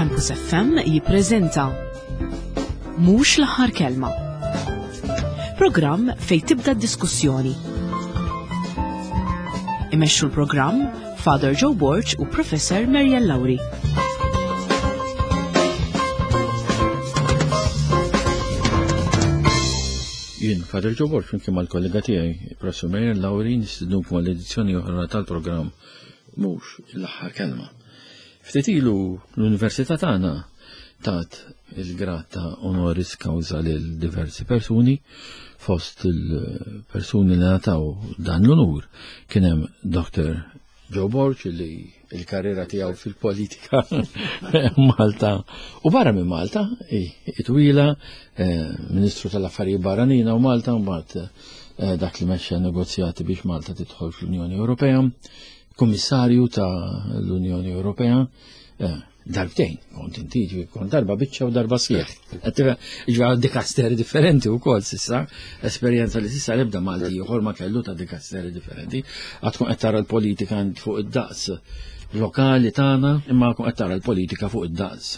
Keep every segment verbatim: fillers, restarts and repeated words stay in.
Campus F M jippreżenta Mhux l-aħħar kelma. Programm fej tibda d-diskussjoni. Imexxu l-programm Father Joe Borg u Professor Marian Lauri. Jien, Father Joe Borg, flimkien mal-kollega tiegħi, Professor Marian Lauri, nistednukom għall-edizzjoni oħra tal-programm Mhux l-aħħar kelma. Ftit ilu l-Università tagħna tat il-grad ta' honoris causa lil diversi persuni. Fost il-persuni li ngħataw dan l-onur kien hemm Doctor Joe Borg, li il-karriera tiegħu fil-politika Malta u barra minn Malta itwila, eh, Ministru tal-Affarijiet Barranin u Malta, mbagħad eh, dak li mexxa negozjati biex Malta tidħol fl-Unjoni Ewropea, Kummissarju ta' l-Unjoni Ewropea, eh, darbtejn, kont inti, kont darba biċċa u darba sħiħ. Ġa dikasteri differenti u kol sissa, esperjenza li sissa l-ebda Malti ieħor ma kellu ta' dikasteri differenti. Għadkun qed tara l-politika fuq id-daqs lokali tagħna, imma kun qed tara l-politika fuq id-daqs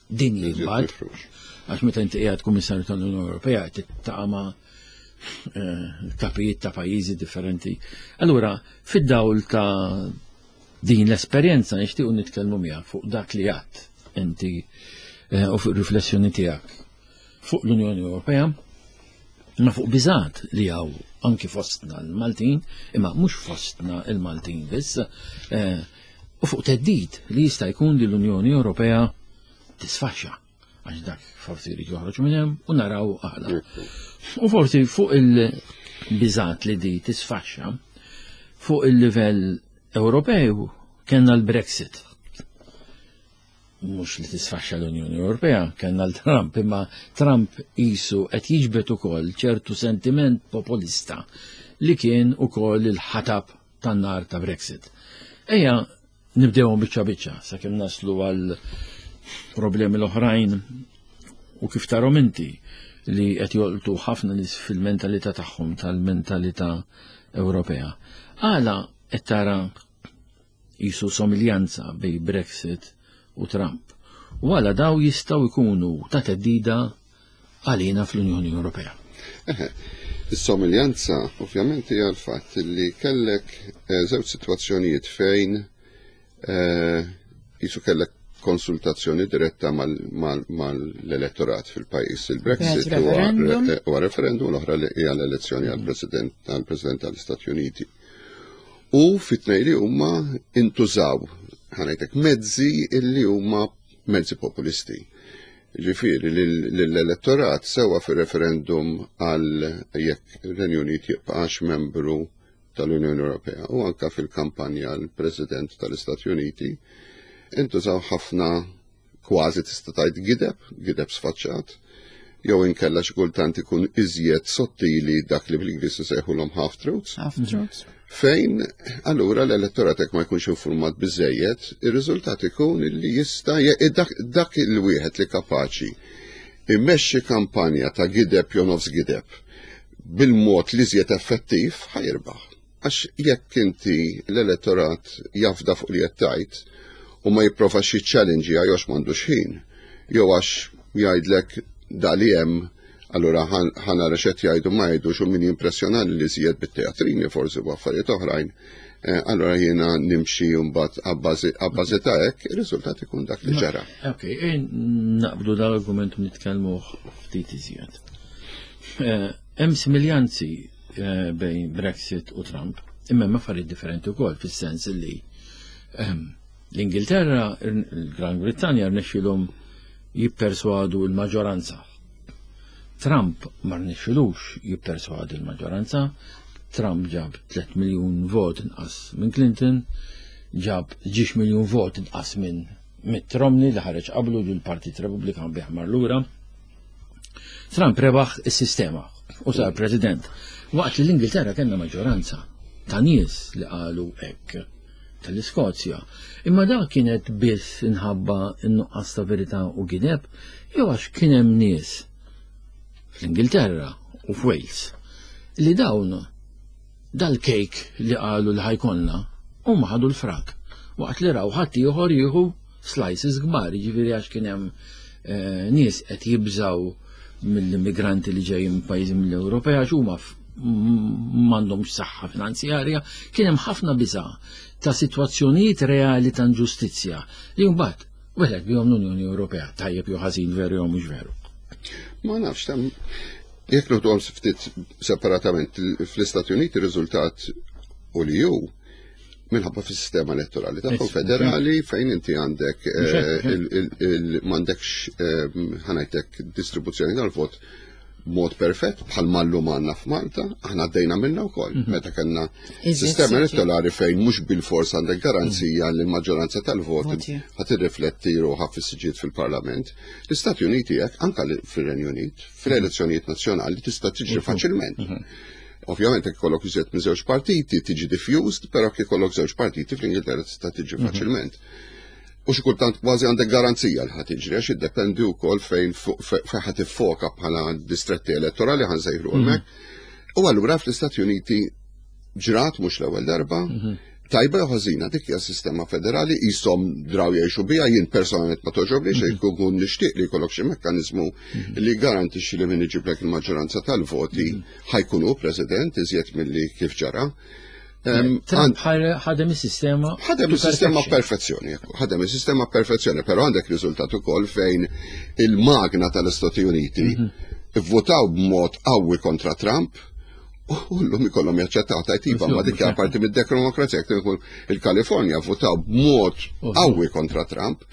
dinji mbagħad. Għax meta inti qiegħed Kummissarju tal-Unjoni Ewropea qed tiltaqa' ma' eh, kapijiet ta' pajjiżi differenti. Allura, fid-dawl ta' din l-esperjenza nixtiequ nitkellmu miegħek fuq dak li għadt inti eh, u fuq riflessjoni tiegħek fuq l-Unjoni Ewropea, ma fuq biżat li hawn anki fostna l-Maltin, imma mhux fostna l-Maltin biss, eh, u fuq theddid li jista' jkun li l-Unjoni Ewropea tisfaxxa, għax dak forsi jrid joħroġ minn hemm u naraw għala. U forsi fuq il-biżat li di tisfaxxa fuq il-livell Ewropew kellna l-Brexit. Mhux li tisfaxxa l-Unjoni Ewropea, kellna l-Trump, imma Trump isu qed jiġbed ukoll ċertu sentiment populista li kien ukoll il-ħatab tan-nar ta' Brexit. Ejja nibdewhom biċċa biċċa sakemm naslu għal problemi l-oħrajn u kif tarhom inti li qed jolqtu ħafna nies fil-mentalità tagħhom tal-mentalità Ewropea. Għala qed tara jisu somiljanza bej Brexit u Trump? U għala daw jistgħu jkunu ta' theddida għalina fl-Unjoni Ewropea? Is-somiljanza ovvjament hija l-fatt li kellek eh, żewġ sitwazzjonijiet fejn eh, jisu kellek konsultazzjoni diretta mal-elettorat fil-pajjiż. Il-Brexit huwa referendum, l-oħra li hija l-elezzjoni għall-President għall-President tal-Istati Uniti. U fit-tnejn li huma intużaw, ħa ngħidlek, mezzi illi huma mezzi populisti. Ġifieri l-elettorat sewa fir-referendum għal jekk ir-Renju Unit jibqax membru tal-Unjoni Ewropea u anka fil-kampanja l-President tal-Istati Uniti intużaw ħafna kważi tista' tgħid gideb, gideb sfaċċat, jew inkella xi kultant ikun iżjed sottili, dak li bl-Ingliż isejħulhom half truths. Half truths. Fejn allura l-elettorat jekk ma jkunx informat biżejjed, ir-riżultat ikun li jista' dak, dak il-wieħed li kapaċi immexxi kampanja ta' gideb jew nofs gideb bil-mod li iżjed effettiv ħa jirbaħ. Għax jekk inti l-elettorat jafda fuq li qed tgħid u ma jipprovax jiċċellenġja għax m'għandux ħin, jew għax jgħidlek da li hemm, allura ħa nara x'qed jgħidu ma jgħidux u min jimpressjonani li żjed bit-teatrini forsi u affarijiet oħrajn, eh, allura jiena nimxi mbagħad abbażi ta' hekk, ir-riżultat ikun dak li ġara. Ok, naqbdu dal-argument u nitkellmu ftit iżjed. Eh, hemm similjanzi eh, bejn Brexit u Trump, imma hemm affarijiet differenti wkoll fis-sens li ehm, l-Ingilterra, il-Gran Brittanja rnexxilhom jipperswadu l-maġġoranza. Trump ma rnexxilux jipperswadi l-maġġoranza. Trump ġab tliet miljun vot inqas minn Clinton, ġab ġiex miljun vot inqas minn Mitt Romney li ħareġ qablu l-Partit Repubblikan biħmar lura. Trump rebaħ is-sistema u sar president. Waqt li l-Ingilterra kellna maġġoranza ta' nies li qalu hekk tal-Iskozja. Imma dak kienet biss inħabba n-nuqqas ta' verità u gideb, jew għax kien hemm nies fl-Ingilterra u f'Wales li dawn dal-kejk li qalu li ħa jkollna huma ħadu l-frak waqt li raw ħadd ieħor jieħu slices kbar, jiġifieri għax kien hemm eh, nies qed jibżaw mill-immigranti li ġejjin minn pajjiżi mill-Ewropea għax huma f- m- m'għandhomx saħħa finanzjarja, kien hemm ħafna biża' ta' sitwazzjonijiet reali ta' inġustizzja li mbagħad weħlet bihom l-Unjoni Ewropea, tajjeb jew ħażin, veru jew mhux veru. Ma nafx, tam, jekk noħduhom ftit separatament, fl-Istati Uniti riżultat u li ju minħabba fis-sistema elettorali tagħhom federali fejn inti għandek eh, il- il- il- m'għandekx eh, ħa ngħidlek distribuzzjoni tal-vot mod perfett bħal mallum għandna f'Malta, aħna għaddejna minna wkoll meta kellna Iżjed sistema siġi. elettorali fejn mhux bil-fors għandek garanzija li l-maġġoranza tal-vot Voti. ħa tirrifletti ruħha fis-siġiet fil-Parlament. L-Istati Uniti hekk anka li- fir-Renju Unit, fl-elezzjonijiet nazzjonali tista' tiġri faċilment. Ovvjament jekk ikollok iżjed minn żewġ partiti tiġi diffused, però jekk ikollok żewġ partiti fl-Ingilterra tista' tiġi faċilment. U xi kultant kważi għandek garanzija li ħa tiġri għax iddependi wkoll fejn fu- fe- fejn ħa tiffoka bħala distretti elettorali ħa nsejħlu hemmhekk. U allura fl-Istati Uniti ġrat mhux l-ewwel darba, tajba jew ħażina, dik hija sistema federali jisom draw jgħixu biha. Jien personalment ma toġobni xejn, jkun nixtieq li jkollok xi mekkaniżmu li garantixxi li min iġiblek il-maġġoranza tal-voti ħa jkunu president iżjed milli kif ġara. Em, Trump ħadem is-sistema. Ħadem to il-sistema perfection. perfezzjoni, ekku, ħadem il-sistema perfezzjoni, però għandek riżultat ukoll fejn il-magna tal-Istati Uniti votaw b'mod qawwi kontra Trump u llum ikollhom jaċċettaw tajtiba, ma dik hija parti mid-demokrazija. Jekk ikun il-Kalifornja votaw b'mod qawwi kontra Trump,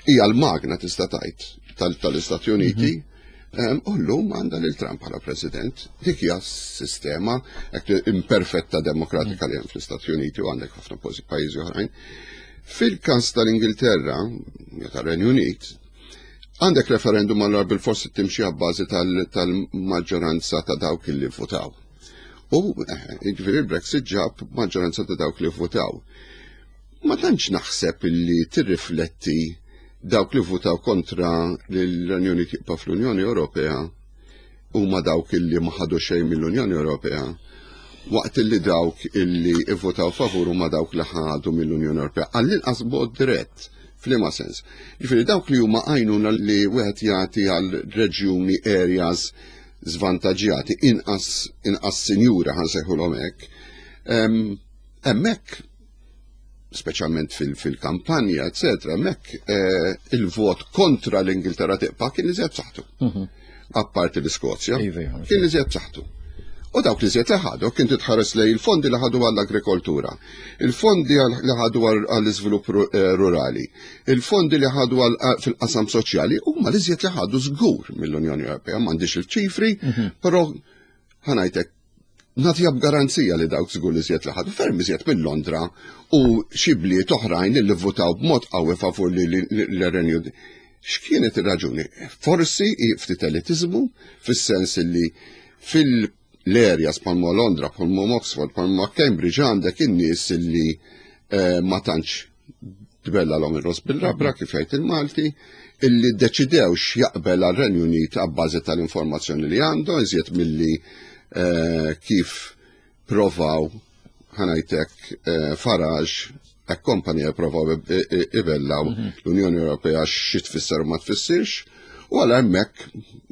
hija l-magna tista' tgħid tal- tal-Istati Uniti. Em, U llum għandha lil Trump bħala president. Dik hija sistema hekk imperfetta demokratika li hemm fl-Istati Uniti u għandek ħafna posi- pajjiżi oħrajn. Fil-każ tal-Ingilterra, jew tar-Renju Unit, għandek referendum, allora bil-forsi timxi għabbażi tal-maġġoranza ta' dawk li votaw. U eh, jiġifieri il-Brexit ġab maġġoranza ta' dawk li votaw. Ma tantx naħseb illi tirrifletti dawk li votaw kontra li l-Renju Unit jibqa' fl-Unjoni Ewropea huma dawk illi ma ħadu xejn mill-Unjoni Ewropea, waqt illi dawk illi ivvotaw favur huma dawk li ħadu mill-Unjoni Ewropea. Għall-inqas b'mod dirett, f'liema sens? Ġifieri dawk li huma għajnuna li wieħed jagħti għal reġjuni, areas zvantaġġjati, inqas inqas sinjura ħa nsejħulhom hekk. em, Hemmhekk speċjalment fil-kampanja, eccetera, hemmhekk eh, il-vot kontra l-Ingilterra tibqa' kien iżjed b'saħħtu. Apparti l-Iskozja, Iva, iva, kien iżjed b'saħħtu. U dawk li żjed li ħadu, kien titħares lej il-fondi li ħadu għall-agrikoltura, il-fondi għal- li ħadu għall- għall-iżvilupp ru- eh, rurali, il-fondi li ħadu għal- eh, fil-qasam soċjali, huma li żjed li ħadu żgur mill-Unjoni Ewropea. M'għandix il-ċifri, però ħa ngħidlek nagħtiha b'garanzija li dawk żgur li żjed li ħadu ferm iżjed minn Londra u xi bliet oħrajn li votaw b'mod qawwi favur li l-Renju. X'kienet ir-raġuni? Forsi i ftit elitizmu fis-sens li fil-areas bħalma Londra, bħalma Oxford, bħalma Cambridge għandek in-nies li eh, ma tantx tbella l ir-ross bil-rabra, kif jgħid il-Malti, illi deċidew x'jaqbel għal-Renju Unit għabbażi tal-informazzjoni li għandu, iżjed milli eh, kif provaw ħa ngħidlek eh, Farage e company provaw ibellaw l-Unjoni Ewropea xi tfisser u ma tfissirx, u għal hemmhekk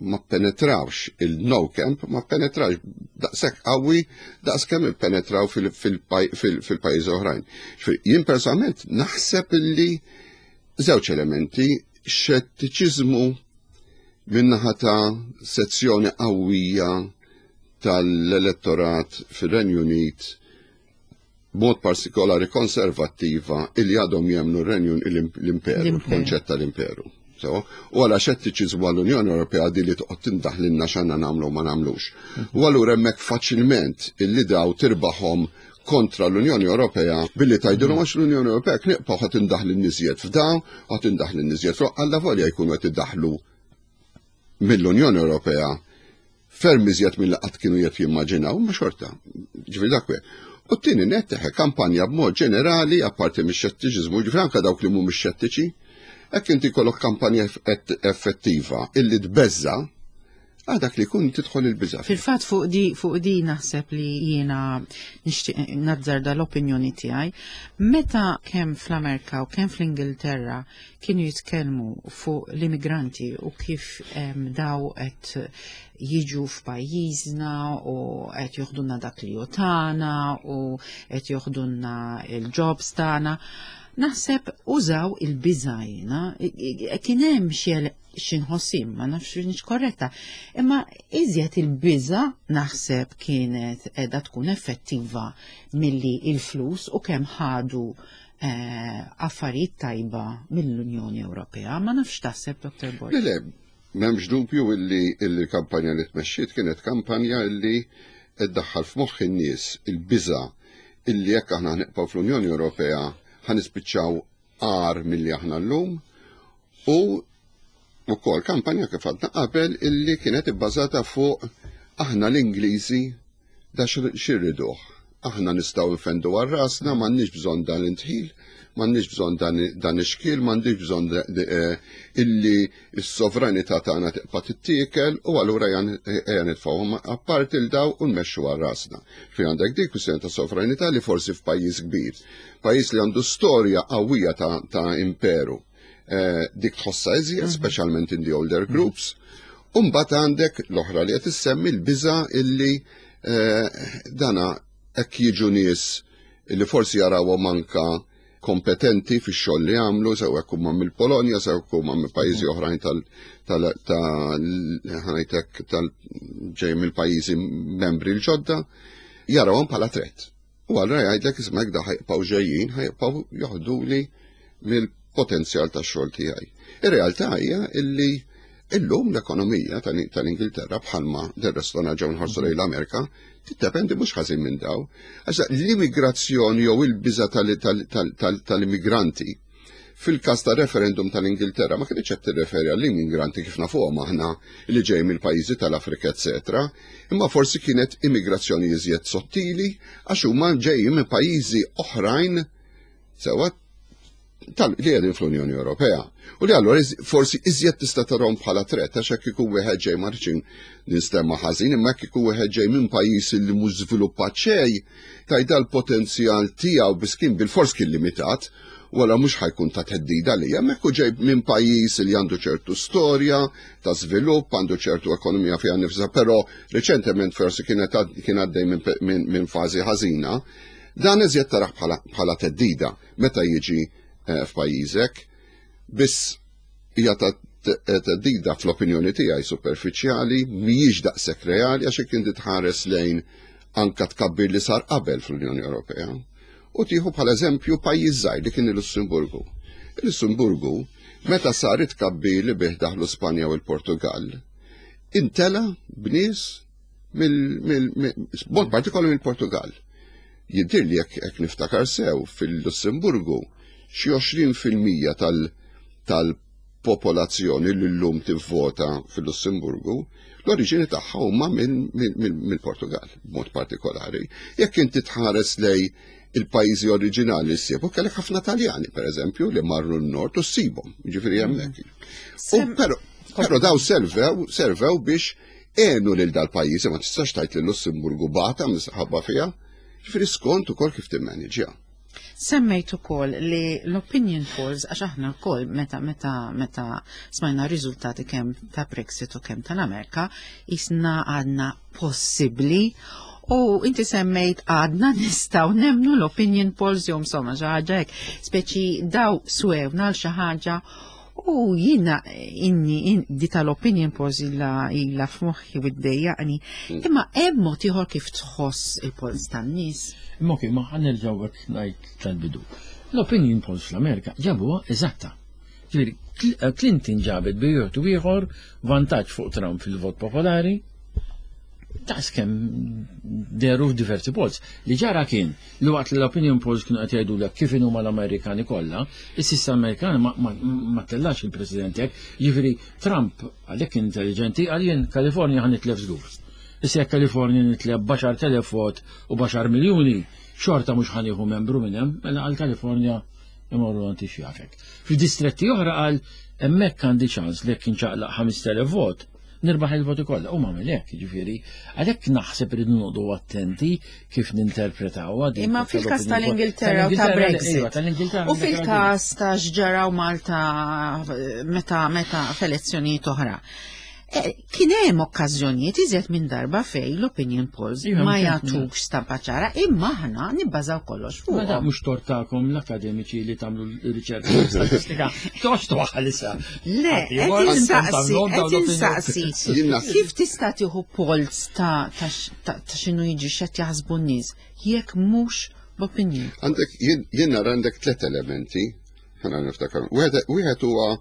ma penetrawx il-no camp, ma penetrawx daqshekk qawwi daqs kemm ippenetraw fil-pajjiżi oħrajn. Ġifieri, jien personalment naħseb illi żewġ elementi: xettiċiżmu min-naħa ta' sezzjoni qawwija tal-elettorat fir-Renju Unit, mod partikolari konservattiva, illi għadhom jemnu r-Renju l-imperu, il-konċett tal-imperu. So, u għala xettiċiżmu għall-Unjoni Ewropea di li toqgħod tindaħlilna x'għandna nagħmlu u ma nagħmlux. U allura hemmhekk faċilment illi daw tirbaħhom kontra l-Unjoni Ewropea billi tgħidilhom għax l-Unjoni Ewropea kniqpa ħa tindaħli niżjed f'dawn, ħa tindaħli niżjed f'dawn, alla volja jkunu qed iddaħlu mill-Unjoni Ewropea ferm iżjed mill qatt kienu qed jimmaġinaw, ma xorta. Ġifieri dak we. U t-tieni net teħe kampanja b'mod ġenerali, apparti mix-xettiċiżmu, ġifieri anke dawk li mhumiex xettiċi, hekk inti kollok kampanja effettiva illi tbeżza, Għal dak li jkun tidħol il-biża. Fil-fatt fuq di fuq di naħseb li jiena nixtieq nazzarda l-opinjoni tiegħi. Meta kemm fl-Amerika u kemm fl-Ingilterra kienu jitkellmu fuq l-immigranti u kif em, daw qed jiġu f'pajjiżna u qed joħdulna dak li hu tagħna u qed joħdulna il-jobs tagħna. Naħseb użaw il-biża jiena, kien hemm xi xi nħossim, ma nafx nix korretta, imma iżjed il-biża naħseb kienet edha tkun effettiva milli il-flus u kemm ħadu eh, affarijiet tajba mill-Unjoni Ewropea. Ma nafx taħseb, Dottor Borg. Le, le, m'hemmx dubju illi il-kampanja li tmexxiet kienet kampanja illi iddaħħal f'moħħ in-nies il-biża illi jekk aħna nibqgħu fl-Unjoni Ewropea ħa nispiċċaw agħar milli aħna llum u wkoll kampanja kif għadna qabel illi kienet ibbażata fuq aħna l-Ingliżi da x'irriduh. Aħna nistgħu nfendu għal rasna, m'għandniex bżonn dan l-indħil, m'għandniex bżonn dan, dan ix-xkiel, m'għandniex bżonn eh, illi s-sovranità tagħna tibqa' tittiekel u allura ejja nitfgħuhom apparti 'l daw u nmexxu għal rasna. Fi għandek dik kwistjoni ta' sovranità li forsi f'pajjiż kbir, pajjiż li għandu storja qawwija ta', ta' imperu. Eh, dik tħossa iżjed, speċjalment in the older groups. U mbagħad għandek l-oħra li qed issemmi l-biża illi eh, dana hekk jiġu nies illi forsi jarawhom anka kompetenti fix-xogħol li għamlu, sew hekk huma mill-Polonja, sew hekk huma minn pajjiżi oħrajn tal tal tal ħa ngħidlek tal ġej mill-pajjiżi membri l-ġodda, jarawhom bħala threat. U allura jgħidlek, isma', da ħa jibqgħu ġejjin, ħa jibqgħu joħduli mill-potenzjal tax-xogħol tiegħi. Ir-realtà hija illi illum l-ekonomija tal-Ingilterra, bħalma del-resto ġew nħarsu lejn l-Amerika, tiddependi mhux ħażin minn daw. Għax l-immigrazzjoni jew il-biża tal-immigranti fil-każ ta' referendum tal-Ingilterra ma kienx qed tirreferi għall-immigranti kif nafuhom aħna li ġej mill-pajjiżi tal-Afrika, eċetera, imma forsi kienet immigrazzjoni iżjed sottili għax huma ġejjin minn pajjiżi oħrajn sewwa tal li qegħdin fl-Unjoni Ewropea. U li allura forsi iżjed tista' tarahom bħala threat, għax hekk ikun wieħed ġej, ma rridx ninstema' ħażin, imma hekk ikun wieħed ġej minn pajjiż li mhux żviluppat xejn, tajda l-potenzjal tiegħu biss kien bil-fors kien limitat, wara mhux ħa jkun ta' theddida li hemmhekk hu ġej minn pajjiż li għandu ċertu storja ta' żvilupp, għandu ċertu ekonomija fiha nifsha, però reċentement forsi kienet kien għaddej minn fażi ħażina, dan iżjed taraħ bħala theddida meta jiġi eh, f'pajjiżek, biss hija ta' theddida fl-opinjoni tiegħi superfiċjali, mhijiex daqshekk reali, għax hekk inti tħares lejn anka tkabbir li sar qabel fl-Unjoni Ewropea. U tieħu bħala eżempju pajjiż żgħir li kien il-Lussemburgu. Il-Lussemburgu, meta sar it-tkabbir li bih daħlu Spanja u l-Portugal, imtela b'nies mill-mod partikolari mill-Portugal. Jiddir li jekk niftakar sew, fil-Lussemburgu xi għoxrin fil-mija tal-popolazzjoni li llum tivvota fil-Lussemburgu, l-oriġini tagħha huma mill-Portugal, b'mod partikolari. Jekk inti tħares lej il-pajjiżi oriġinali ssib, u kellek ħafna Taljani, per eżempju, li marru n-nord u ssibhom, ġifieri hemmhekk. U però però daw servew, servew biex għenu lil dal-pajjiżi, ma tistax tgħid li Lussemburgu bata minħabba fiha, ġifieri skont ukoll kif timmaniġja. Semmejt ukoll li l-opinion polls, għax aħna wkoll meta meta meta smajna riżultati kemm ta' Brexit u kemm tal-Amerika, jisna għadna possibbli, u inti semmejt għadna nistgħu nemmnu l-opinion polls jew insomma xi ħaġa hekk, speċi daw swewna għal xi ħaġa. U jina inni in, di tal-opinion polls illa illa f'moħħi u ddejjaqni. Imma hemm mod ieħor kif tħoss il-polls tan-nies. Imma ok, ma ħa nerġgħu għek ngħid tal-bidu. L-opinion polls fl-Amerika ġabuha eżatta. Ġifieri, Clinton ġabet bejn u ieħor vantaġġ fuq Trump fil-vot popolari, daqs kemm dehru f'diversi polls. Li ġara kien li waqt li l-opinion polls kienu qed jgħidu kif huma l-Amerikani kollha, is-sissa Amerikani ma, ma, ma tellax il-President hekk, jiġifieri Trump għalhekk intelligenti għal jien Kalifornja ħa nitlef żgur. Issa jekk Kalifornja nitlef b'għaxart elef vot u b'għaxar miljuni, xorta mhux ħa nieħu membru minn hemm, mela għal Kalifornja imorru għanti xjafek. Fil-distretti oħra għal hemmhekk għandi ċans li jekk inċaqlaq ħamest elef vot, Nirbaħ il-voti kollha u m'għamel hekk, jiġifieri għalhekk naħseb irridu noqogħdu attenti kif ninterpretawha din. Imma fil-każ tal-Ingilterra u ta' Brexit. Tal-Ingilterra. U fil-każ ta' x'ġaraw Malta meta meta f'elezzjonijiet oħra. Eh, Kien hemm okkażjonijiet iżjed minn darba fej l-opinion polls Iva, ma mhux jagħtukx stampa ċara, imma aħna nibbażaw kollox Ma da fuq. mhux tort tagħkom l-akademiċi li tagħmlu l-riċerka statistika. Tox twaħħal issa. Le, qed insaqsi, qed insaqsi. Jien naħseb- Kif tista' tieħu polls ta' ta' x- ta' ta' x'inhu jiġi x'qed jaħsbu n-nies jekk mhux b'opinion? Għandek, jien jien nara għandek tlet elementi, ħana niftakar. Wieħed wieħed huwa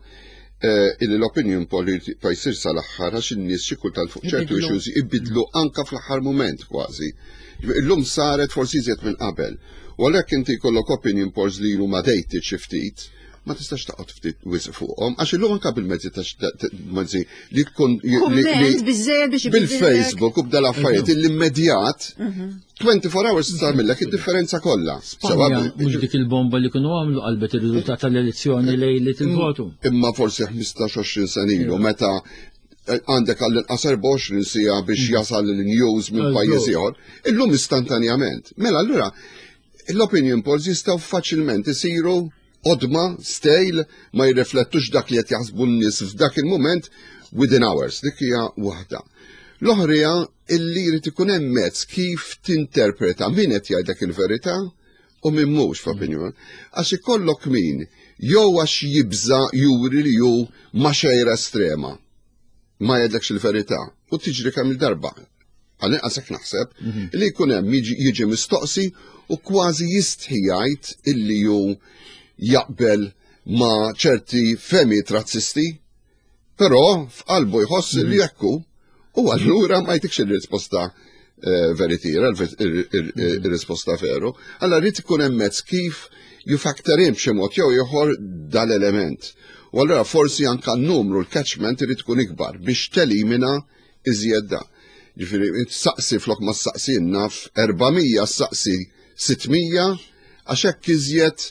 eh, illi l-opinion poll pa jsir sal-aħħar għax in-nies xi kultant fuq ċertu Ibidlu. issues ibidlu anka fl-aħħar moment kważi. Illum saret forsi iżjed minn qabel. U għalhekk inti jkollok opinion polls li huma dated xi ftit, ma tistax taqgħod ftit wisq fuqhom, għax illum anka bil-mezzi ta' ta- mezzi li jkun li- li- Kumment biżżejjed biex ibidlek. bil-Facebook u b'dal affarijiet l-immedjat twenty-four hours tagħmellek id-differenza kollha. Spanja, mhux dik il-bomba li kienu għamlu qalbet ir-riżultat tal-elezzjoni lejlet il-votu. Imma forsi ħmistax għoxrin sena ilu meta eh, għandek għall-inqas erbgħa u għoxrin siegħa biex jasal l-news minn Eżatt. pajjiż ieħor, illum istantanjament. Mela allura l-opinion polls jistgħu faċilment isiru qodma, stale, ma jirriflettux dak li qed jaħsbu n-nies f'dak il-moment within hours. Dik hija waħda. L-oħra illi jrid ikun hemm mezz kif tinterpreta min qed jgħidlek il-verità u min mhux f'opinion. Għax ikollok min jew għax jibża juri li hu ma' xejra estrema. Ma jgħidlekx il-verità u tiġri kemm il-darba. Għal-inqas hekk naħseb li jkun hemm jiġi- jiġi mistoqsi u kważi jistħi jgħid illi hu jaqbel ma' ċerti fehmiet razzisti, però f'qalbu jħoss li jekku u allura ma jtikx il-risposta eh, veritiera, il-risposta veru. Allora rrid ikun hemm mezz kif you factor in b'xi mod jew ieħor dal-element. U allura forsi anka n-numru, l-catchment irid ikun ikbar biex telimina iżjed da. Ġifieri, saqsi flok ma saqsi naf erba' mija, saqsi sitt mija, għax hekk iżjed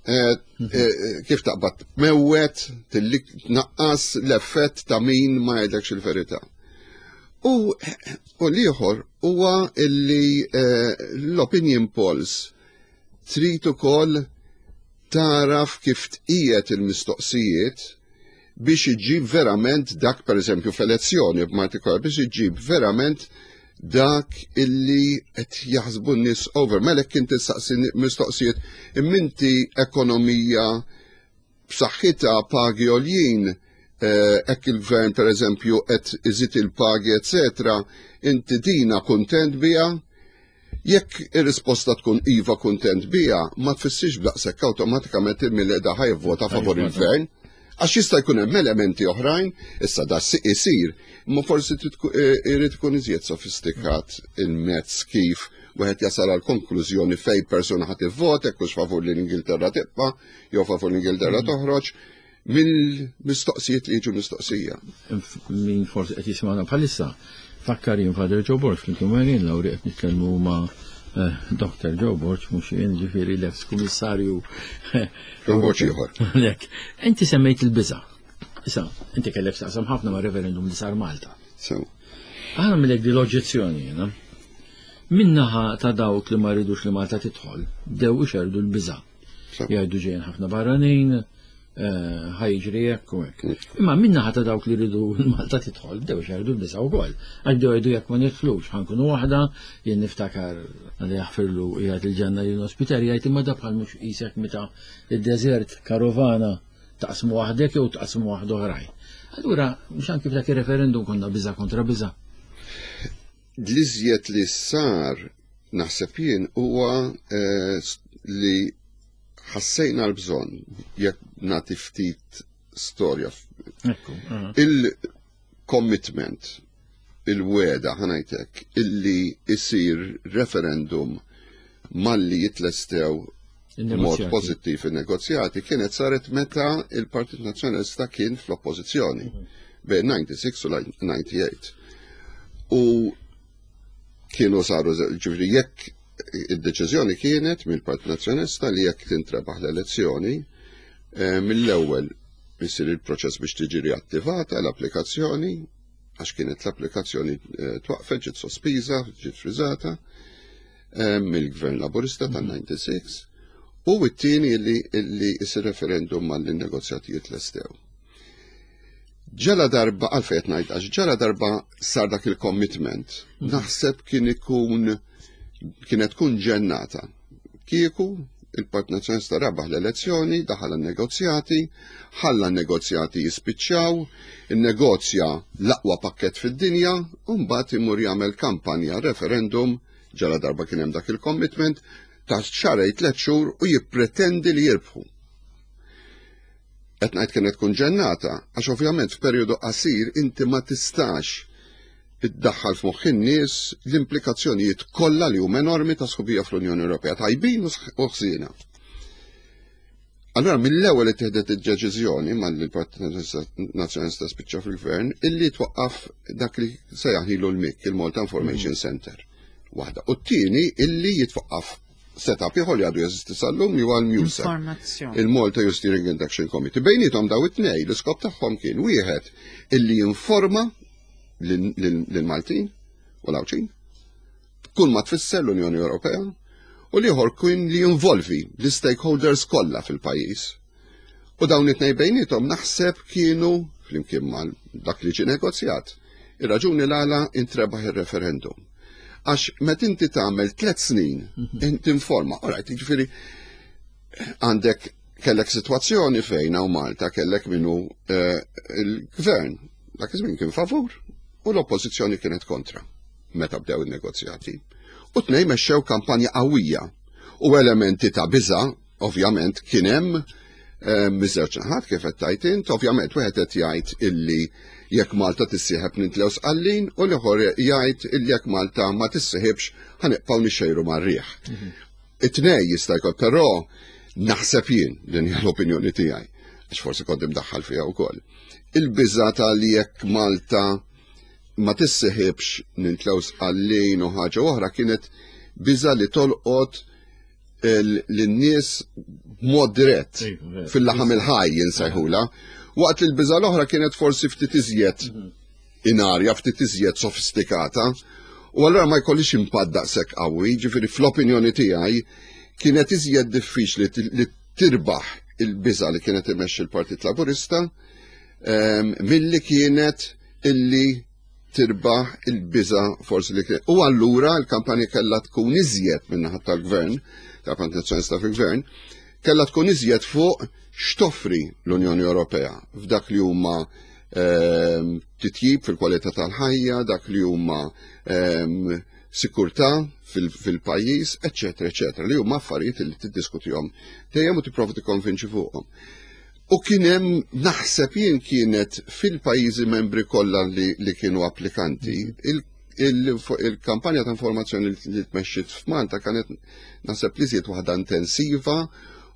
eh, eh, kif taqbad mewwet, tilli tnaqqas l-effett ta' min ma jgħidlekx il-verità. U, u l-ieħor huwa illi eh, l-opinion polls trid ukoll taraf kif tqiegħed il-mistoqsijiet biex iġib verament dak, per eżempju, f'elezzjoni b'partikolar, biex iġib verament dak illi qed jaħsbu n-nies over. Mela kien tistaqsi mistoqsijiet imminti ekonomija b'saħħitha, pagi għoljin, eh, hekk il-gvern per eżempju qed iżid il-pagi, eccetera, inti dina kuntent biha? Jekk ir-risposta tkun iva, kuntent biha, ma tfissirx b'daqshekk awtomatikament il da ħa jivvota favor il-gvern. Għax jista' jkun hemm elementi oħrajn, issa da isir, imma forsi trid tku- eh, irid ikun iżjed sofistikat il-mezz kif wieħed jasal għal konklużjoni fej persuna ħadd ivvota, jekk hux favur li l-Ingilterra tibqa' jew favur l-Ingilterra toħroġ mill-mistoqsijiet li jiġu mistoqsija. Min forsi qed jisimgħuna bħalissa, fakkar jien Father Joe Borg, flimkien Marian Lauri qed nitkellmu ma' eh, Doctor Joe Borg, mhux jien, ġifieri l-ex kummissarju. Joe Borg ieħor. Lek, inti semmejt il-biża. Issa, inti kellek taqsam ħafna ma' referendum li sar Malta. So, Aħna millek di l-oġġezzjoni jiena. Minnaħa ta' dawk li ma rridux li Malta tidħol, dew ixerdu l-biża. So. Jgħidu ġejjin ħafna barranin, eh, ħa jiġri hekk u hekk. Imma minnaħa ta' dawk li rridu Malta tidħol, bdew ixerdu l-biża wkoll. Għax bdew jgħidu jekk ma nidħlux, ħa nkunu waħda, jien niftakar għalli jaħfirlu qiegħed il-ġenna lil ospitali jgħid imma da bħal mhux qisek meta id-deżert karovana taqsmu waħdek jew taqsmu waħda oħrajn. Allura, mhux anki f'dak ir-referendum konna biża kontra biża. L-iżjed li sar naħseb jien huwa eh, li ħassejna l-bżonn, jekk nagħti ftit storja. Ekku. aha. Il-commitment, il-weda ħa ngħidlek, illi isir referendum malli jitlestew mod Il-negozjati. pozittiv il-negozjati kienet saret meta il-Partit Nazzjonalista kien fl-oppożizzjoni bejn disgħa u disgħin u disgħa u tmenin. U kienu saru, ġifieri jekk id-deċiżjoni kienet mill-Partit Nazzjonalista li jekk tintrebaħ l-elezzjoni, eh, mill-ewwel isir il-proċess biex tiġi riattivata l-applikazzjoni. għax kienet l-applikazzjoni eh, twaqfet, ġiet sospiża, ġiet friżata eh, mill-Gvern Laburista tan-disgħa u disgħin, u t-tieni li li isir referendum mal-negozjati jitlestew. Ġala darba, għalfejn ngħid, għax ġala darba sar dak il-commitment, naħseb kien ikun kienet tkun ġennata kieku il-Partit Nazzjonalista rabaħ l-elezzjoni, daħal negozjati, ħalla negozjati jispiċċaw, innegozja l-aqwa pakket fid-dinja, u mbagħad imur jagħmel kampanja referendum ġala darba kien hemm dak il-commitment ta' xahrejn, tliet xhur, u jippretendi li jirbħu. Qed ngħid kienet tkun ġennata, għax ovvjament f'perjodu qasir inti ma tistax iddaħħal f'moħħ in-nies l-implikazzjonijiet kollha li huma enormi ta' sħubija fl-Unjoni Ewropea, tajbin u ħsiena. Allora mill-ewwel li tieħdet id-deċiżjoni mal-Partit Nazzjonalista spiċċa fil-Gvern illi twaqqaf dak li sejjaħnilu l-M I C, il-Malta Information Center. Waħda. U t-tieni illi jitwaqqaf setup ieħor li għadu jeżisti sal-lum, li huwa l-MUSAC. Informazzjoni. Il-Malta Youth Steering and Action Committee. Bejnietom daw it-tnej, l-iskop tagħhom kien wieħed illi jinforma lil-Maltin u l-Għawdxin kull ma tfisser l-Unjoni Ewropea, u l-ieħor kien li jinvolvi l-stakeholders kollha fil-pajjiż. U dawn it-tnej bejnietom naħseb kienu, flimkien mal dak li ġie negozjat, ir-raġuni l-għala intrebaħ il-referendum. Għax met inti tagħmel tliet snin inti informa, alright, jiġifieri għandek kellek situazzjoni fejn hawn Malta kellek minnu eh, il-gvern dak iż-żmien kien favur u l-oppożizzjoni kienet kontra meta bdew in-negozjati. U tnej mexxew kampanja qawwija u elementi ta' biża ovvjament kien hemm eh, miż-żewġ naħat, kif qed tajt int. Ovvjament wieħed qed jgħid illi jekk Malta tissieħeb nintlew Sqallin, u l-ieħor jgħid illi jekk Malta ma tissieħibx ħa nibqgħu nixxejru mar-riħ. It-tnej jista' jkun, però naħseb jien, din hija l-opinjoni tiegħi, għax forsi kont imdaħħal fiha wkoll. Il-biża ta' li jekk Malta ma tissieħibx nintlew Sqallin u ħaġa oħra kienet biża li tolqot lin-nies b'mod dirett Iva, fil-laħam il-ħaj jinsajħula, waqt li l-biża l-oħra kienet forsi ftit iżjed in arja, ftit iżjed sofistikata, u allura ma jkollix impatt daqshekk qawwi. Ġifieri fl-opinjoni tiegħi kienet iżjed diffiċli li tirbaħ il-biża li kienet imexxi l-Partit Laburista ehm, milli kienet illi tirbaħ il-biża forsi li kienet. U allura l-kampanja kellha tkun iżjed min-naħa tal-gvern, tal-Partit Nazzjonalista fil-gvern, kellha tkun iżjed fuq x'toffri l-Unjoni Ewropea f'dak li huma ehm, titjib fil-kwalità tal-ħajja, dak li huma ehm, sikurtà fil-pajjiż, eċetera, eċetera, li huma affarijiet li tiddiskutihom dejjem u tipprova tikkonvinċi fuqhom. U kien hemm, naħseb jien, kienet fil-pajjiżi membri kollha li, li kienu applikanti, il-kampanja ta' informazzjoni li tmexxiet f'Malta kienet, naħseb, li żied waħda intensiva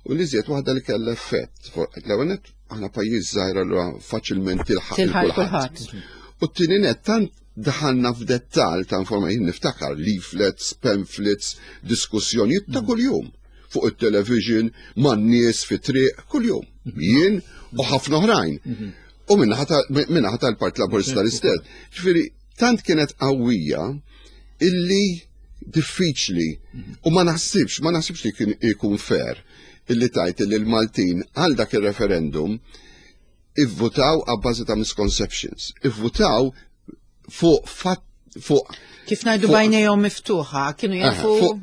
u li żied waħda li kellha effett. L-ewwel nett aħna pajjiż żgħir, allura faċilment tilħaq Tilħaq kulħadd. kulħadd. U t-tieni nett tant daħalna f'dettal ta' informazzjoni, niftakar leaflets, pamphlets, diskussjonijiet ta' kuljum fuq il-television, man-nies fi triq, kuljum. Jien u ħafna oħrajn. U min-naħa tal-Partit Laburista l-istess. Ġifieri, tant kienet qawwija illi diffiċli u ma naħsibx, ma naħsibx li kien ikun fair illi tajt illi l-Maltin għal dak il-referendum ivvutaw għabbażi ta' misconceptions. Ivvutaw fuq fat fuq Kif ngħidu fuq- bajnejhom miftuħa, kienu Eh, jafu. fuq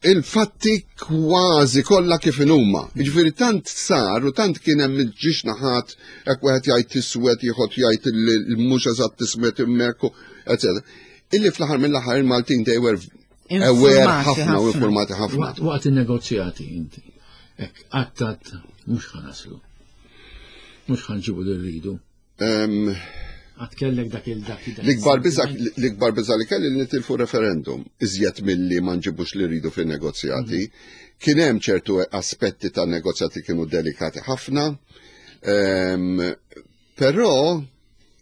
il-fatti kważi kollha kif inhuma. Jiġifieri tant sar u tant kien hemm il-ġiex naħat, hekk wieħed jgħid tiswed, ieħor jgħid il mhux eżatt tiswed hemmhekk, eċetera. Illi fl-aħħar mill-aħħar il-Maltin they were aware Informati ħafna u ħafna. informati ħafna. Waqt waqt il-negozjati inti. Ek, għattat, mhux ħa naslu. Mhux ħa nġibu li rridu. Em, Għat kellek dak il-dak il- L-ikbar biża l-ikbar biża li kelli li nitilfu referendum iżjed milli ma nġibux li rridu fin-negozjati. Kien hemm ċertu aspetti tan negozjati kienu delikati ħafna, em, però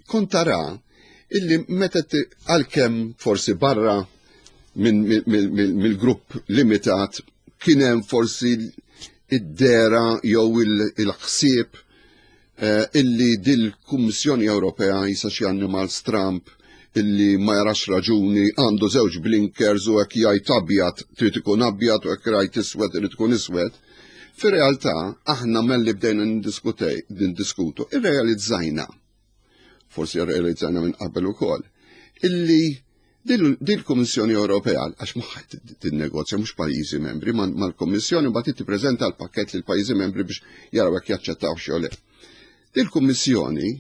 kont tara illi meta ti- għalkemm forsi barra minn mill- mill- mill-grupp limitat kien hemm forsi id-dera jew il- il-ħsieb eh, illi dil-Kummissjoni Ewropea jisa xi annimal stramp. Illi ma jarax raġuni, għandu żewġ blinkers u hekk jgħid abjad trid ikun abjad u hekk jgħid iswed trid ikun iswed. Fir-realtà aħna malli bdejna nindiskutu, irrealizzajna, forsi irrealizzajna minn qabel ukoll, illi dil-Kummissjoni Ewropea, għax magħha tinnegozja mhux pajjiżi membri, mal-Kummissjoni mbagħad tippreżenta l-pakkett lil pajjiżi membri biex jaraw jekk jaċċettaw jew le. Dil-Kummissjoni